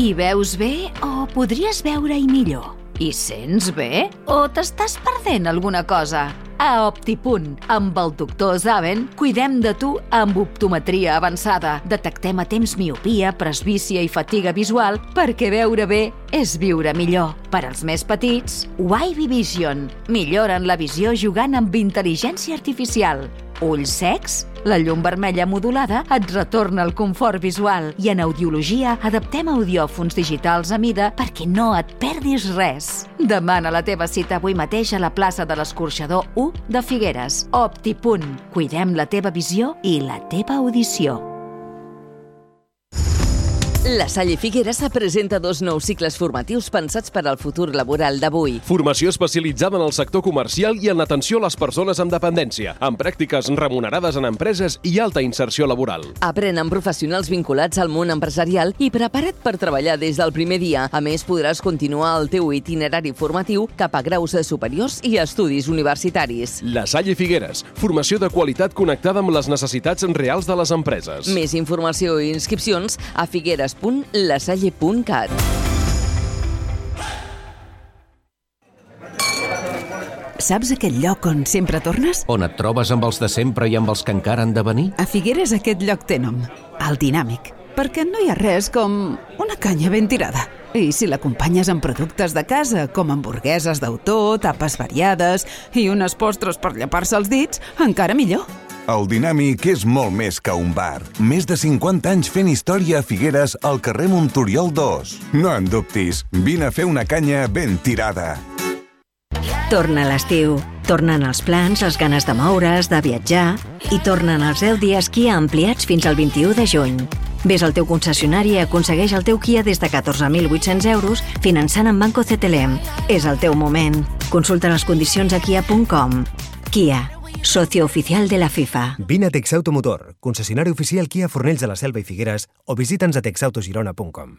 Hi veus bé o podries veure-hi millor? Hi sents bé o t'estàs perdent alguna cosa? A Optipunt, amb el doctor Zaven, cuidem de tu amb optometria avançada. Detectem a temps miopia, presbícia i fatiga visual perquè veure bé és viure millor. Per als més petits, Wavy Vision. Milloren la visió jugant amb intel·ligència artificial. Ulls secs? La llum vermella modulada et retorna el confort visual i en audiologia adaptem audiòfons digitals a mida perquè no et perdis res. Demana la teva cita avui mateix a la plaça de l'Escorxador u de Figueres. Optipunt. Cuidem la teva visió i la teva audició. La Salle Figueres presenta dos nous cicles formatius pensats per al futur laboral d'avui. Formació especialitzada en el sector comercial i en l'atenció a les persones amb dependència, amb pràctiques remunerades en empreses i alta inserció laboral. Aprèn amb professionals vinculats al món empresarial i prepara't per treballar des del primer dia. A més, podràs continuar el teu itinerari formatiu cap a graus superiors i estudis universitaris. La Salle Figueres, formació de qualitat connectada amb les necessitats reals de les empreses. Més informació i inscripcions a figueres punt lasalle punt cat. Saps aquell lloc on sempre tornes? On et trobes amb els de sempre i amb els que encara han de venir? A Figueres aquest lloc té nom, el Dinàmic, perquè no hi ha res com una canya ben tirada. I si l'acompanyes amb productes de casa, com hamburgueses d'autor, tapes variades i unes postres per llepar-se els dits, encara millor. El Dinàmic és molt més que un bar. Més de cinquanta anys fent història a Figueres al carrer Montoriol dos. No en dubtis, vine a fer una canya ben tirada. Torna l'estiu. Tornen els plans, les ganes de moure's, de viatjar i tornen els deu dies Kia ampliats fins al vint-i-u de juny. Ves al teu concessionari i aconsegueix el teu Kia des de catorze mil vuit-cents euros finançant amb Banco C T L M. És el teu moment. Consulta les condicions a kia punt com. Kia, socio oficial de la FIFA. Vine a Texauto Motor, concessionari oficial Kia Fornells de la Selva i Figueres, o visita'ns a texautogirona punt com.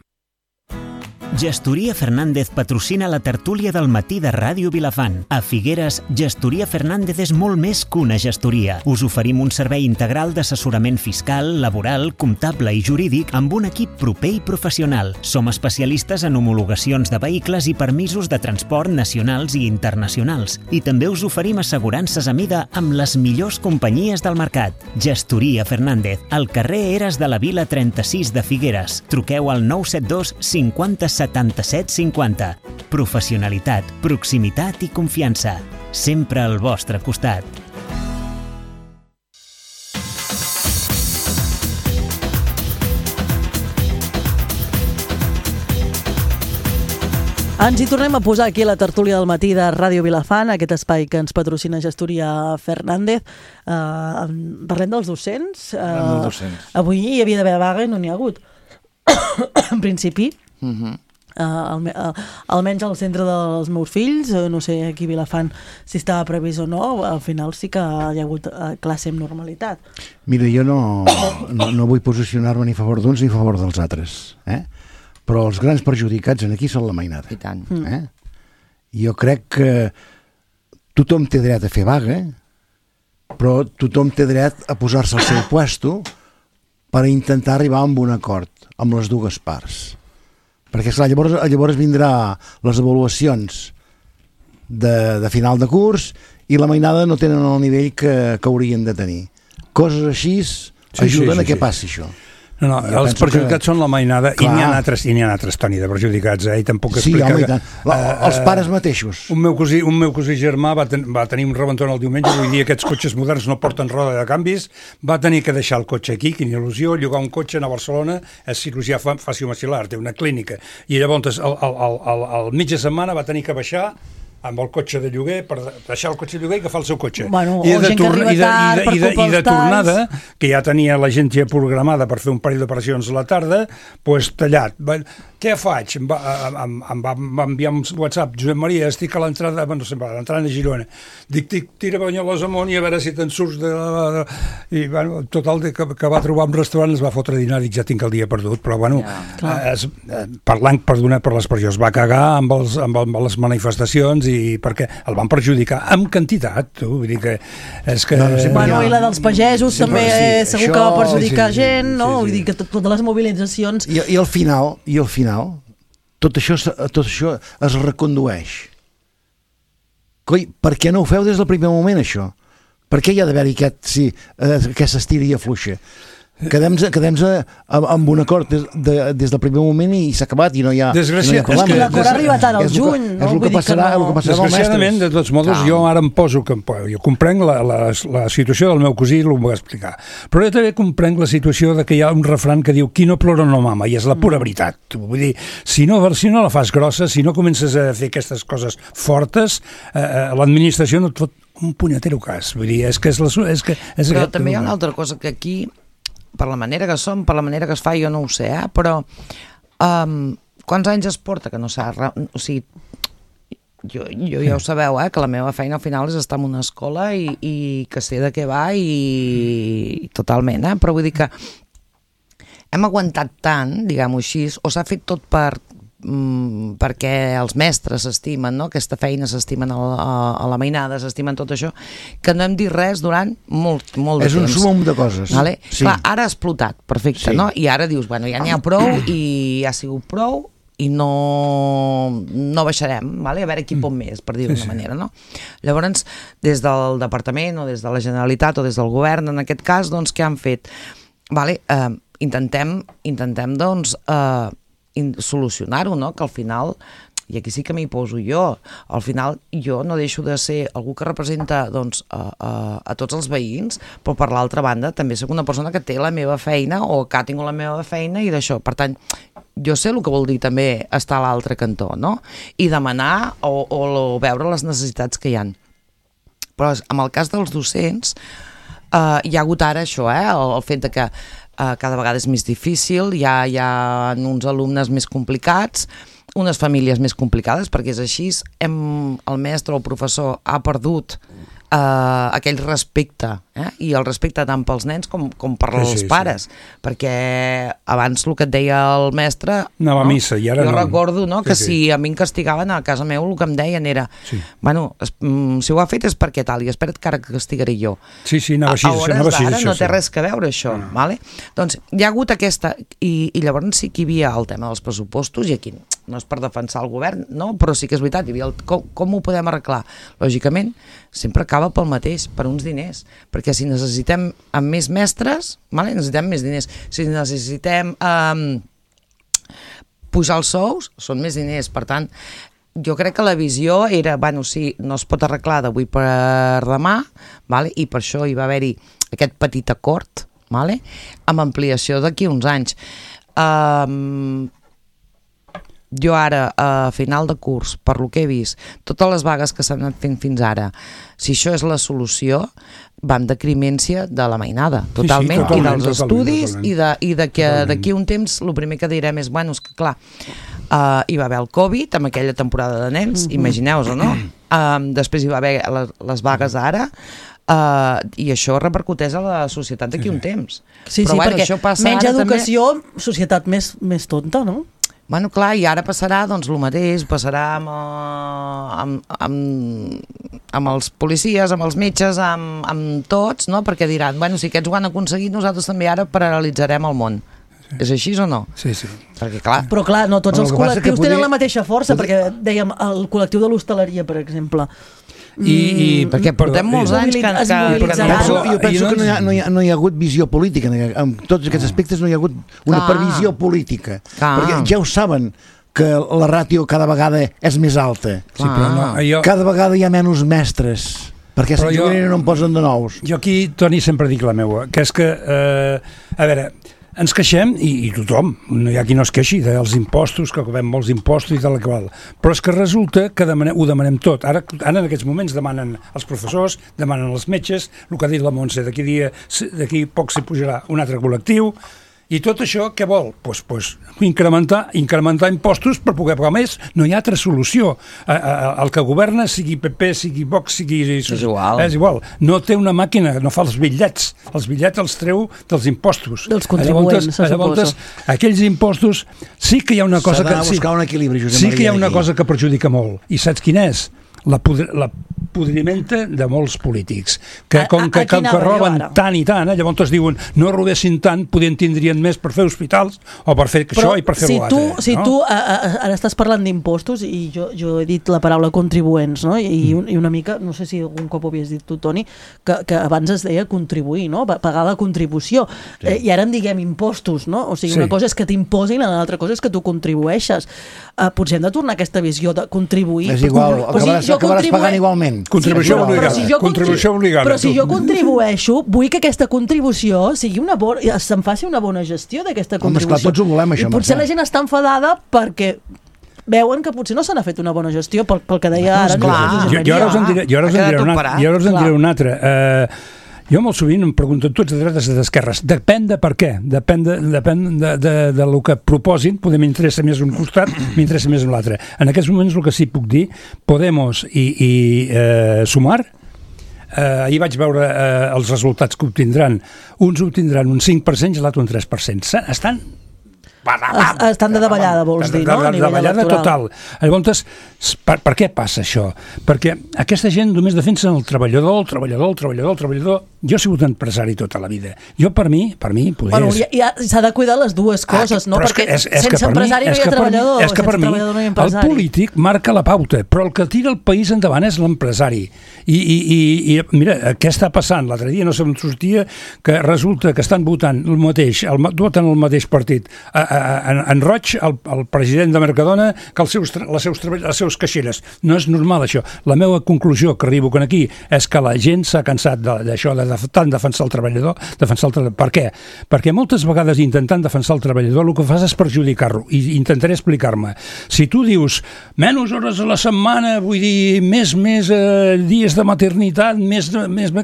Gestoria Fernández patrocina la tertúlia del matí de Ràdio Vilafant. A Figueres, Gestoria Fernández és molt més que una gestoria. Us oferim un servei integral d'assessorament fiscal, laboral, comptable i jurídic amb un equip proper i professional. Som especialistes en homologacions de vehicles i permisos de transport nacionals i internacionals. I també us oferim assegurances a mida amb les millors companyies del mercat. Gestoria Fernández, al carrer Eres de la Vila trenta-sis de Figueres. Truqueu al nou set dos cinquanta setanta-set cinquanta. Professionalitat, proximitat i confiança. Sempre al vostre costat. Ens hi tornem a posar aquí a la tertúlia del matí de Ràdio Vilafant, aquest espai que ens patrocina Gestoria Fernández. Uh, parlem dels docents. Uh, Parlem dels docents. Avui hi havia d'haver vaga i no n'hi ha hagut. En principi, Uh-huh. Uh, alme uh, almenys al centre dels meus fills, uh, no sé aquí a Vilafant si estava previst o no, al final sí que hi ha hagut uh, classe amb normalitat. Mira, jo no, no, no vull posicionar-me ni a favor d'uns ni a favor dels altres, eh? Però els grans perjudicats en aquí són la mainada. I tant. Eh? Jo crec que tothom té dret a fer vaga, però tothom té dret a posar-se al seu puesto per intentar arribar a un acord amb les dues parts. Perquè, esclar, llavors, llavors vindrà les avaluacions de, de final de curs i la mainada no tenen el nivell que, que haurien de tenir. Coses així sí, ajuden sí, sí, a que sí. passi això. No, no, jo els perjudicats que... són la mainada i n'hi ha altres, i n'hi ha altres, Toni, de perjudicats, eh? I tampoc sí, explicar... home, que, la, els uh, pares mateixos. Un meu cosí, un meu cosí germà va, ten, va tenir un rebentón el diumenge, avui dia aquests cotxes moderns no porten roda de canvis, va tenir que deixar el cotxe aquí, quina il·lusió, llogar un cotxe a Barcelona, és cirurgià faciomacil·lar, té una clínica, i llavors al, al, al, al, al mig de setmana va tenir que baixar amb el cotxe de lloguer, per deixar el cotxe de lloguer i agafar el seu cotxe. Bueno, I, de de torn... I, de, i, de, i, de, i de tornada, que ja tenia la gent ja programada per fer un parell d'operacions a la tarda, doncs tallat. Què faig? Em va, em, em, va, em va enviar un WhatsApp, Josep Maria, estic a l'entrada, no sé, a l'entrada de Girona. Dic, dic tira Banyoles amunt i a veure si te'n surts de... de... I, bueno, total, que, que va trobar un restaurant, es va fotre a dinar, dic, ja tinc el dia perdut, però, bueno, ja, es, parlant, perdona per l'expressió, es va cagar amb, els, amb, amb les manifestacions i perquè el van perjudicar amb quantitat, tu, vull dir que és que... No, no sé, bueno, i la dels pagesos sí, també sí, segur això, que va perjudicar sí, sí, gent, sí, no? Sí, sí. Vull dir que totes les mobilitzacions... I, i al final, i al final tot això, tot això es recondueix. Coi, per què no ho feu des del primer moment, això? Per què hi ha d'haver-hi aquest, sí, aquesta estira i afluixa? Quedem-nos quedem amb un acord des, de, des del primer moment i s'ha acabat i no hi ha, Desgràcia, no hi ha problema. L'acord ha arribat ara al juny, no? És el que passarà, no. el que passarà Desgraciadament, de tots modos, no. jo ara em poso que jo comprenc la, la, la situació del meu cosí, l'ho va explicar, però jo també comprenc la situació de que hi ha un refran que diu qui no plora no mama, i és la pura veritat. Vull dir, si no, si no la fas grossa, si no comences a fer aquestes coses fortes, eh, l'administració no et fot un punyetero cas. Vull dir, és que és la... És que, és però aquest, també hi ha una altra cosa que aquí per la manera que som, per la manera que es fa, jo no ho sé, eh? Però um, quants anys es porta que no s'ha... O sigui, jo, jo ja ho sabeu, eh? Que la meva feina al final és estar en una escola i, i que sé de què va i, i totalment, eh? Però vull dir que hem aguantat tant, diguem-ho així, o s'ha fet tot per... Mm, perquè els mestres s'estimen, no? Aquesta feina s'estimen a, a, a la mainada, s'estimen tot això, que no hem dit res durant molt, molt de és temps. És un sumum de coses. Vale? Sí. Clar, ara ha explotat, perfecte, sí. No? I ara dius, bueno, ja n'hi ha prou i ja ha sigut prou i no, no baixarem, vale? A veure qui pot més, per dir-ho d'una sí, sí. manera, no? Llavors, des del departament o des de la Generalitat o des del govern, en aquest cas, doncs, què han fet? Vale, eh, intentem, intentem, doncs, eh, solucionar-ho, no? Que al final, i aquí sí que m'hi poso jo, al final jo no deixo de ser algú que representa doncs, a, a, a tots els veïns, però per l'altra banda també soc una persona que té la meva feina o que ha tingut la meva feina i d'això, per tant jo sé el que vol dir també estar a l'altre cantó, no? I demanar o, o, o veure les necessitats que hi ha. Però en el cas dels docents eh, hi ha hagut ara això, eh? el, el fet de que Uh, cada vegada és més difícil, hi ha, hi ha uns alumnes més complicats, unes famílies més complicades, perquè és així, hem, el mestre o el professor ha perdut uh, aquell respecte, eh? I el respecte tant pels nens com, com per sí, els sí, pares, sí. Perquè abans el que et deia el mestre... Anava no? a missa, i ara jo no. Jo recordo no? que sí, sí. si a mi em castigaven a casa meu, el que em deien era sí. Bueno, es, mm, si ho ha fet és perquè tal, i espera't que ara castigaré jo. Sí, sí, anava així, a hores anava així, d'ara això, no té sí. res que veure això, no. Vale? Doncs hi ha hagut aquesta, i, i llavors sí que hi havia el tema dels pressupostos, i aquí no és per defensar el govern, no? Però sí que és veritat, hi havia el, com, com ho podem arreglar? Lògicament, sempre acaba pel mateix, per uns diners, perquè si necessitem amb més mestres, vale? Necessitem més diners, si necessitem um, pujar els sous, són més diners, per tant, jo crec que la visió era, bueno, sí, no es pot arreglar d'avui per demà, vale? I per això hi va haver-hi aquest petit acord, vale? Amb ampliació d'aquí uns anys. Um, jo ara, a final de curs, per lo que he vist, totes les vagues que s'han anat fent fins ara, si això és la solució, va en decrimència de la mainada, totalment, sí, sí, totalment i dels totalment, estudis, totalment. i de, i de que d'aquí un temps el primer que direm és, bueno, és que clar, uh, hi va haver el Covid, amb aquella temporada de nens, mm-hmm. imagineu-vos, no? Um, després hi va haver les, les vagues ara, Uh, i això repercuteix a la societat d'aquí sí, un temps. Sí, però, sí, bueno, perquè això passa menys ara educació, també... societat més, més tonta, no? Bueno, clar, i ara passarà doncs el mateix, passarà amb, amb, amb, amb els policies, amb els metges, amb, amb tots, no? Perquè diran, bueno, si aquests ho han aconseguit, nosaltres també ara paralitzarem el món. Sí. És així o no? Sí, sí. Perquè, clar... Però clar, no tots els col·lectius poder... tenen la mateixa força, perquè dèiem, el col·lectiu de l'hostaleria, per exemple, I, i, perquè portem molts anys que... Es que, mobilitzarà. Jo penso, jo penso que no hi, ha, no, hi ha, no hi ha hagut visió política. En tots aquests aspectes no hi ha hagut una Clar. previsió política. Clar. Perquè ja ho saben que la ràtio cada vegada és més alta. Sí, però no, jo... Cada vegada hi ha menys mestres. Perquè si jo... no en posen de nous. Jo aquí, Toni, sempre dic la meua, que és que, eh, a veure, ens queixem, i, i tothom, no hi ha qui no es queixi dels impostos, que cobrem molts impostos i tal i qual, però és que resulta que demanem, ho demanem tot. Ara, ara en aquests moments demanen els professors, demanen els metges, el que ha dit la Montse, d'aquí dia, d'aquí poc s'hi pujarà un altre col·lectiu, i tot això què vol? Pues, pues, incrementar, incrementar impostos per poder pagar més. No hi ha altra solució. A, a, el que governa, sigui P P, sigui Vox, sigui... És igual. És igual. No té una màquina, no fa els bitllets. Els bitllets els treu dels impostos. Dels contribuents, se suposa. Aquells impostos sí que hi ha una cosa que... S'ha d'anar a buscar un equilibri, Josep Sí Maria, que hi ha una aquí. cosa que perjudica molt. I saps quina és? La, pudri, la podrimenta de molts polítics que com que, que, que roben tant i tant, eh, llavors es diuen no robessin tant, podien tindrien més per fer hospitals o per fer Però això i per fer si l'altre. Tu, si no? tu a, a, ara estàs parlant d'impostos i jo, jo he dit la paraula contribuents, no? I, mm. i una mica, no sé si algun cop ho havies dit tu, Toni, que, que abans es deia contribuir, no? Pagar la contribució. Sí. Eh, I ara en diguem impostos, no? O sigui, sí. Una cosa és que t'imposin, l'altra cosa és que tu contribueixes. Uh, potser hem de tornar a aquesta visió de contribuir. És igual, acabaràs, si acabaràs contribu... pagant igualment. Contribució sí, obligada. Si jo contribució obligada. Però si jo contribueixo, vull que aquesta contribució sigui una bona, se'n faci una bona gestió d'aquesta contribució. Home, esclar, tots ho volem, això. I potser la gent està enfadada perquè veuen que potser no se n'ha fet una bona gestió pel, pel que deia ara. No, jo, jo ara us en diré, jo ara us en diré, una, jo ara us en diré una altra. Uh, jo molt sovint em pregunto, tu ets de dretes o d'esquerres, depèn de per què, depèn de, depèn de, de, de lo que proposin, poder m'interessa més un costat, m'interessa més un l'altre. En aquests moments el que sí puc dir, Podemos i, i eh, Sumar, eh, ahir vaig veure eh, els resultats que obtindran, uns obtindran un cinc per cent i l'altre un tres per cent. Estan... Estan de davallada, vols dir, no? De davallada total. Llavors, per, per què passa això? Perquè aquesta gent només defensa el treballador, el treballador, el treballador, el treballador. Jo he sigut empresari tota la vida. Jo, per mi, per mi, poder... Bueno, ja, s'ha de cuidar les dues coses, ah, no? Perquè és, és sense empresari no hi ha treballador, és que per mi, no hi ha empresari. El polític marca la pauta, però el que tira el país endavant és l'empresari. I, i, i, i mira, què està passant? L'altre dia no se'm sortia que resulta que estan votant el mateix, el, voten el mateix partit. En, en Roig, el, el president de Mercadona, que els seus, les, seus, les seus caixeres. No és normal, això. La meva conclusió que arribo aquí és que la gent s'ha cansat d'això, de, de tant defensar el treballador, defensar el treballador. Per què? Perquè moltes vegades intentant defensar el treballador el que fas és perjudicar-lo, i intentaré explicar-me. Si tu dius menys hores a la setmana, vull dir, més, més eh, dies de maternitat, més, més...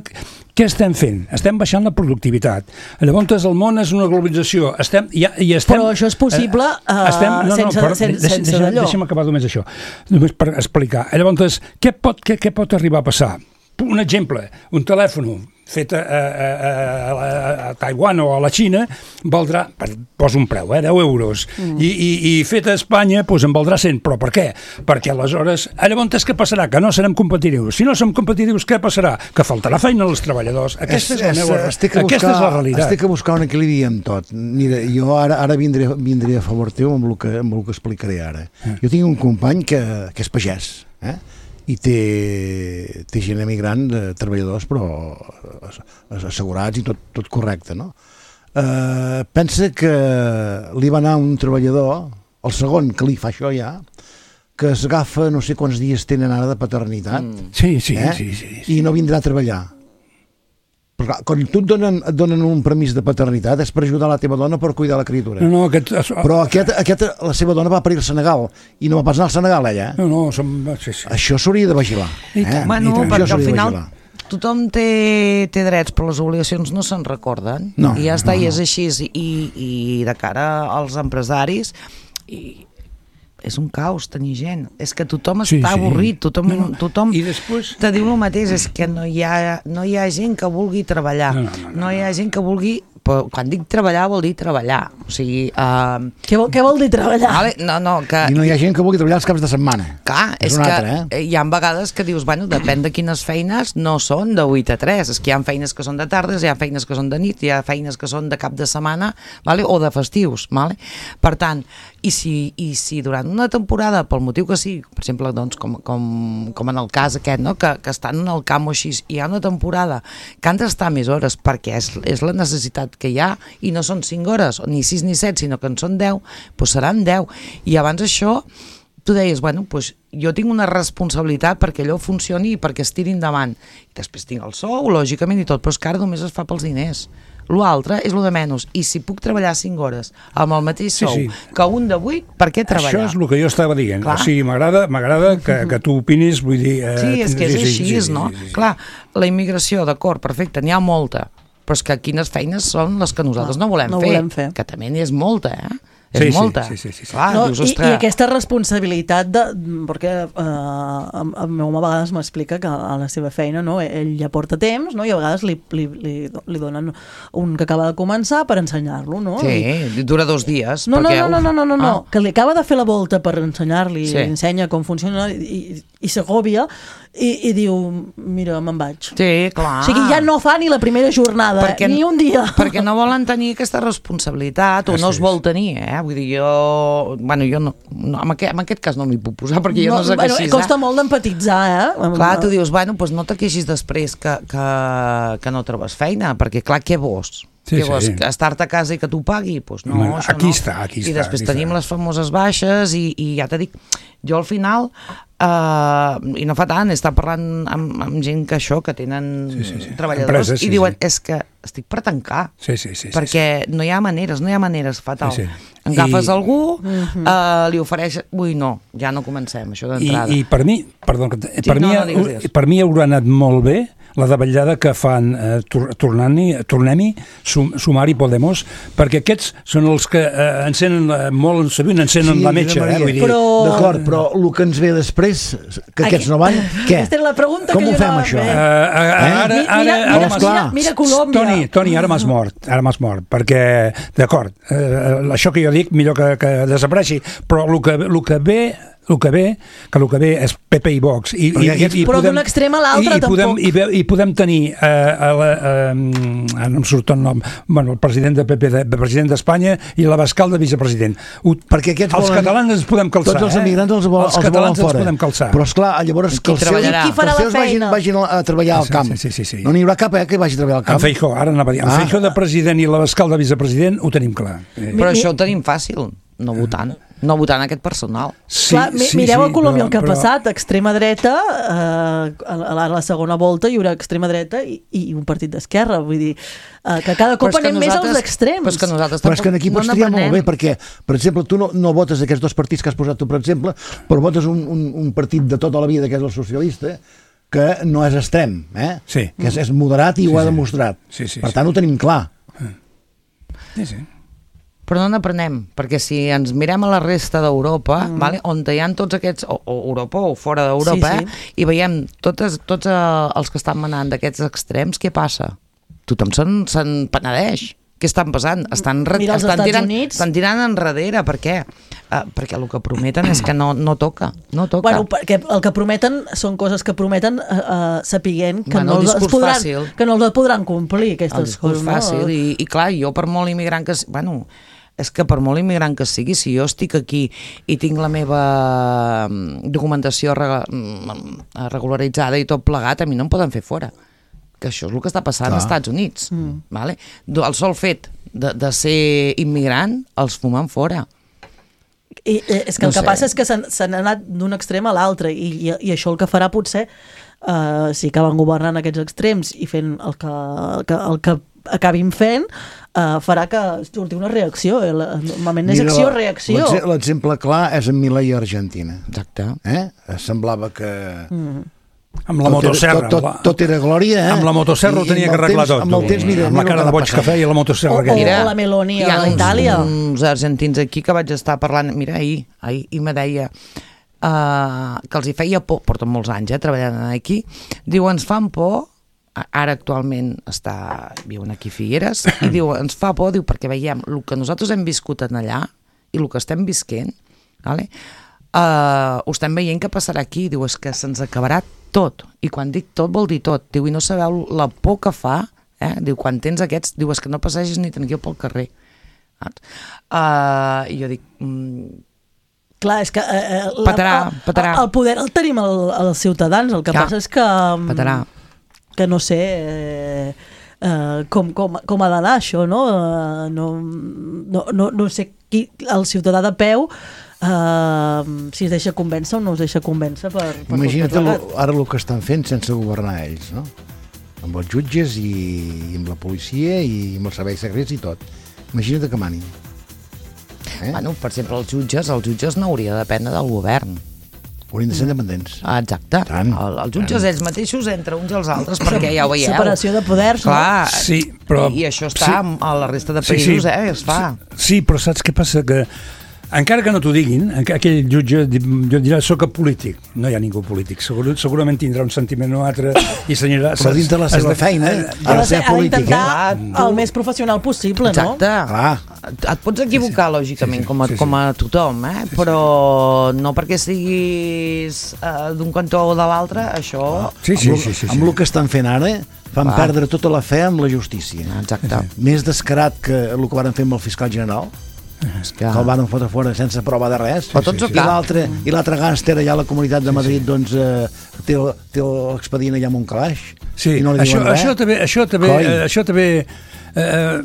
Què estem fent? Estem baixant la productivitat. Llavors el món és una globalització. Estem, ja, i estem, però això és possible uh, estem, no, no, sense, però, sense, deixa, sense deixa, d'allò. Deixa'm acabar només això, només per explicar. Llavors, què pot, què, què pot arribar a passar? Un exemple, un telèfon fet a, a, a, a, a Taiwan o a la Xina valdrà, poso un preu, eh, deu euros, mm. I, i, i fet a Espanya doncs en valdrà cent, però per què? Perquè aleshores, llavors què passarà? Que no serem competitius. Si no som competitius, què passarà? Que faltarà feina als treballadors. Aquesta és, és la meva, buscar, aquesta és la realitat. Estic a buscar un equilibri en tot. Mira, jo ara, ara vindré, vindré a favor teu amb el que, amb el que explicaré ara. Mm. Jo tinc un company que, que és pagès, eh? I té, té gent emigrant de treballadors però assegurats i tot, tot correcte, no? Eh, pensa que li va anar un treballador, el segon que li fa això ja, que s'agafa no sé quants dies tenen ara de paternitat, mm. sí, sí, eh? sí, sí, sí. I no vindrà a treballar. Però clar, quan tu et donen, et donen un permís de paternitat és per ajudar la teva dona per cuidar la criatura. No, no, aquest... Però aquest, aquest, la seva dona va parir al Senegal i no va pas anar al Senegal, ella. No, no, som... sí, sí. Això s'hauria de vigilar. Eh? Bueno, perquè al final tothom té, té drets, però les obligacions no se'n recorden. No, I ja està, no, no. I és així. I, i de cara als empresaris... I, és un caos tenir gent, és que tothom sí, està sí. avorrit, tothom, no, no. tothom I després... te diu el mateix, és que no hi ha, no hi ha gent que vulgui treballar, no, no, no, no. no hi ha gent que vulgui però quan dic treballar vol dir treballar. O sigui... Uh, què, vol, què vol dir treballar? Vale? No, no, que... I no hi ha gent que vulgui treballar els caps de setmana. Clar, és, és que altre, eh? hi ha vegades que dius, bueno, depèn de quines feines no són de vuit a tres. És que hi ha feines que són de tardes, hi ha feines que són de nit, hi ha feines que són de cap de setmana, vale? O de festius. Vale? Per tant, i si, i si durant una temporada, pel motiu que sigui, per exemple, doncs, com, com, com en el cas aquest, no? que, que estan en el camp o així, hi ha una temporada que han d'estar més hores perquè és, és la necessitat que hi ha i no són cinc hores, ni sis ni set, sinó que en són deu, doncs seran deu. I abans això, tu deies, bueno, doncs jo tinc una responsabilitat perquè allò funcioni i perquè es tiri endavant. I després tinc el sou, lògicament, i tot, però és que ara només es fa pels diners. L'altre és lo de menys, i si puc treballar cinc hores amb el mateix sou sí, sí. que un de vuit, per què treballar? Això és el que jo estava dient. Clar. O sigui, m'agrada m'agrada que, que tu opinis, vull dir... Eh, sí, és que és sí, així, sí, sí, no? Sí, sí, sí. Clar, la immigració, d'acord, perfecte, n'hi ha molta, però és que quines feines són les que nosaltres no volem, no fer, volem fer, que també n'hi és molta, eh? És sí, molta. Sí, sí, sí, sí. Clar, no, dius, i, I aquesta responsabilitat de, perquè eh, el, el meu home a vegades m'explica que a la seva feina, no, ell ja porta temps, no, i a vegades li, li, li, li donen un que acaba de començar per ensenyar-lo, no? Sí, I, dura dos dies. No, perquè, no, no, no, no, no, no, ah. que li acaba de fer la volta per ensenyar-li, sí. li ensenya com funciona i, i s'agòbia i, i diu, mira, me'n vaig. Sí, clar. O sigui, ja no fa ni la primera jornada, perquè, ni un dia. Perquè no volen tenir aquesta responsabilitat, o no es vol tenir, eh? Vull dir, jo... Bueno, jo no... no en, aquest, en aquest cas no m'hi puc posar, perquè jo no, no sé bueno, què així... Costa molt d'empatitzar, eh? Clar, tu dius, bueno, doncs no te queixis després que, que, que no trobes feina, perquè clar, què vols? Sí, què vols? sí. Estar-te a casa i que t'ho pagui? Pues no, bueno, això aquí no. està, aquí I està. després aquí tenim està. les famoses baixes i, i ja t'he dit, jo al final... Uh, i no fa tant, he estat parlant amb, amb gent que això, que tenen sí, sí, sí. treballadors, Empreses, sí, i diuen, sí. és que estic per tancar, sí, sí, sí, perquè sí, sí. no hi ha maneres, no hi ha maneres, fatal. Sí, sí. Agafes I... algú, uh, li ofereix... Ui, no, ja no comencem, això d'entrada. I, I per mi, perdó, per, sí, mi, no, no digues, digues. per mi haurà anat molt bé la davallada que fan eh, tornem-hi, tornem sum, Sumar i Podemos, perquè aquests són els que eh, encenen eh, molt sovint encenen sí, la metxa, eh, vull dir. Però... D'acord, però el que ens ve després, que aquests no van, què? Aquesta és la pregunta Com que ho jo fem, no això? Eh? Uh, uh, ara, ara, mira, ara, mira, mira, mira Colòmbia. Toni, Toni, ara m'has mort, ara m'has mort, perquè, d'acord, eh, això que jo dic, millor que, que desapareixi, però el que, el que ve... el que ve, que el que ve és P P i Vox. I, i, i, i però d'un extrem a l'altre tampoc. Podem, i, I podem tenir, eh, a la, eh, no em surt el nom, bueno, el president de P P, de, de president d'Espanya i l'Abascal de vicepresident. Ho, perquè aquests els volen, catalans ens podem calçar. Tots els emigrants els, vol, els, els catalans volen fora. Ens podem calçar. Però esclar, llavors que els seus, que els seus vagin, vagin a treballar al camp. Sí, sí, sí, sí. No n'hi haurà cap eh, que vagi a treballar al camp. En Feijóo, ara anava a dir, en ah. Feijóo de president i l'Abascal de vicepresident ho tenim clar. Però això ho tenim fàcil, no votant. No votant aquest personal. Sí, Clar, sí, mireu sí, a Colòmbia el que ha però... passat, extrema dreta, eh, a la, la segona volta hi haurà extrema dreta i, i un partit d'esquerra, vull dir, eh, que cada cop anem més als extrems. Però és que nosaltres però és que aquí pots no triar molt bé, perquè, per exemple, tu no, no votes aquests dos partits que has posat tu, per exemple, però votes un, un, un partit de tota la vida, que és el socialista, que no és extrem, eh? Sí. Que és, és moderat i sí, ho ha demostrat. Sí, sí, per sí. tant, ho tenim clar. Sí, sí. Però no n'aprenem, perquè si ens mirem a la resta d'Europa, mm. vale, on hi ha tots aquests, o, o Europa o fora d'Europa, sí, sí. Eh, i veiem totes, tots els que estan manant d'aquests extrems, què passa? Tothom se'n, se'n penedeix. Què estan passant? Estan, Mira els estan, Estats tirant, Units. estan tirant enrere. Per què? Uh, perquè el que prometen és que no, no toca. No toca. Bueno, perquè el que prometen són coses que prometen uh, uh, sapiguent que, bueno, no els podran, fàcil. que no els podran complir, aquestes el discurs coses. Fàcil. No? I, I clar, jo per molt immigrant que... Bueno, és que per molt immigrant que sigui, si jo estic aquí i tinc la meva documentació regularitzada i tot plegat, a mi no em poden fer fora. Que això és el que està passant als Estats Units. Mm. Vale? El sol fet de, de ser immigrant els fumen fora. I, és que no el que sé. passa és que s'han anat d'un extrem a l'altre i, i, i això el que farà potser uh, si acaben governant aquests extrems i fent el que, el que, el que acabin fent uh, farà que surti una reacció. Normalment és acció-reacció. L'exemple clar és en Milei a Argentina. Exacte. Eh? Semblava que... Mm. Amb la motosserra. Tot, tot, tot era glòria, eh? Amb la motosserra ho tenia que arreglar tot. Amb el temps, mira, amb la cara de boig que feia i la motosserra que hi ha. O la Meloni a Itàlia. Hi ha uns, uns argentins aquí que vaig estar parlant, mira, ahir, ahir i me deia uh, que els hi feia por, porten molts anys, eh, treballant aquí, diu, ens fan por ara actualment està, viuen aquí a Figueres, i diu, ens fa por, diu, perquè veiem el que nosaltres hem viscut en allà i el que estem visquent, vale? uh, ho estem veient que passarà aquí, diu, és que se'ns acabarà tot, i quan dic tot vol dir tot, diu, i no sabeu la por que fa, eh? Diu, quan tens aquests, diu, és que no passegis ni tranquil pel carrer. Uh, I jo dic... Mm, clar, és que... Eh, la, patarà, patarà. El poder el tenim el, els ciutadans, el que clar, passa és que... Patarà. Que no sé eh, eh, com, com, com ha d'anar això, no? Uh, no, no, no? No sé qui, el ciutadà de peu, uh, si es deixa convèncer o no es deixa convèncer per... per Imagina't lo, ara el que estan fent sense governar ells, no? Amb els jutges i, i amb la policia i amb els serveis secrets i tot. Imagina't que manin. Eh? Bueno, per exemple, els jutges, els jutges no hauria de dependre del govern. Haurien de ser independents. Ah, exacte. Tant, el, els jutges tant. Ells mateixos entre uns i els altres, perquè ja ho veieu. Separació de poders, clar, no? Sí, però... I, i això està sí, a la resta de països, sí, sí, eh? Es fa. Sí, sí, però saps què passa? Que encara que no t'ho diguin, aquell jutge jo dirà, soc polític. No hi ha ningú polític. Segur, segurament tindrà un sentiment o altre i senyarà... Però dins de la seva feina, ha de ser polític. Ha d'intentar el més professional possible, no? Exacte. Clar. Et pots equivocar, sí, sí. lògicament, sí, sí. Com, a, sí, sí. com a tothom, eh? Però no perquè siguis uh, d'un cantó o de l'altre, això... Sí, sí, sí, sí, sí. Amb el que estan fent ara, fan Clar. perdre tota la fe amb la justícia. Exacte. Més descarat que el que van fer amb el fiscal general, que el van fotre fora sense prova de res, sí, sí, sí. i l'altre i l'altre gàngster allà a la Comunitat de Madrid, sí, sí. doncs eh, té, té l'expedient allà amb un calaix sí, i no li això, diuen res. Això també, això també, eh, això també eh,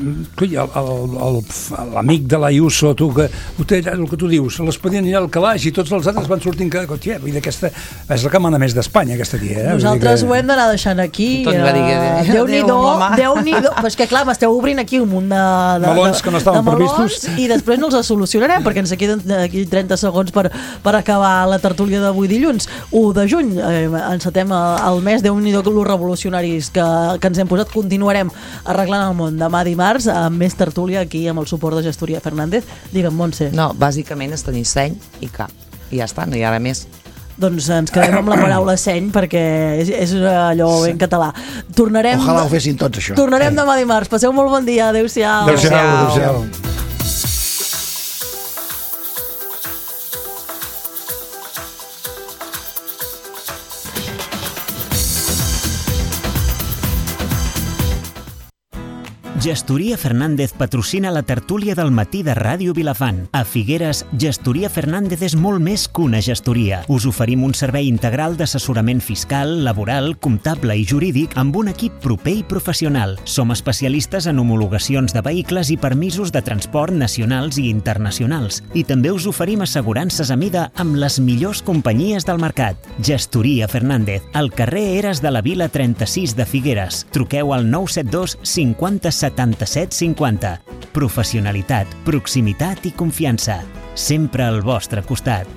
l'amic de l'Ayuso, tu, que, el que tu dius, l'expedient allà al calaix i tots els altres van sortint que, tia, vull dir, aquesta és la que mana més d'Espanya, aquesta tia. Eh? Nosaltres que... ho hem d'anar deixant aquí. Eh, Déu-n'hi-do, Déu-n'hi-do, però és que clar, m'esteu obrint aquí un munt de, de, melons que no estaven previstos i després no els solucionarem perquè ens queden aquí trenta segons per, per acabar la tertúlia d'avui dilluns u de juny, eh, encetem el mes, Déu-n'hi-do los revolucionaris que, que ens hem posat, continuarem arreglant el món demà dimarts amb més tertúlia aquí amb el suport de Gestoria Fernández. Digue'm, Montse. No, bàsicament és tenir seny i cap i ja està, no hi ha res més. Doncs ens quedem amb la paraula seny perquè és, és allò en català. Tornarem... Ojalà ho fessin tots, això. Tornarem demà dimarts. Passeu molt bon dia. Adéu-siau. Adéu-siau. Adéu-siau. Gestoria Fernández patrocina la tertúlia del matí de Ràdio Vilafant. A Figueres, Gestoria Fernández és molt més que una gestoria. Us oferim un servei integral d'assessorament fiscal, laboral, comptable i jurídic amb un equip proper i professional. Som especialistes en homologacions de vehicles i permisos de transport nacionals i internacionals. I també us oferim assegurances a mida amb les millors companyies del mercat. Gestoria Fernández, al carrer Eres de la Vila trenta-sis de Figueres. Truqueu al nou set dos cinquanta setanta-set cinquanta. Professionalitat, proximitat i confiança. Sempre al vostre costat.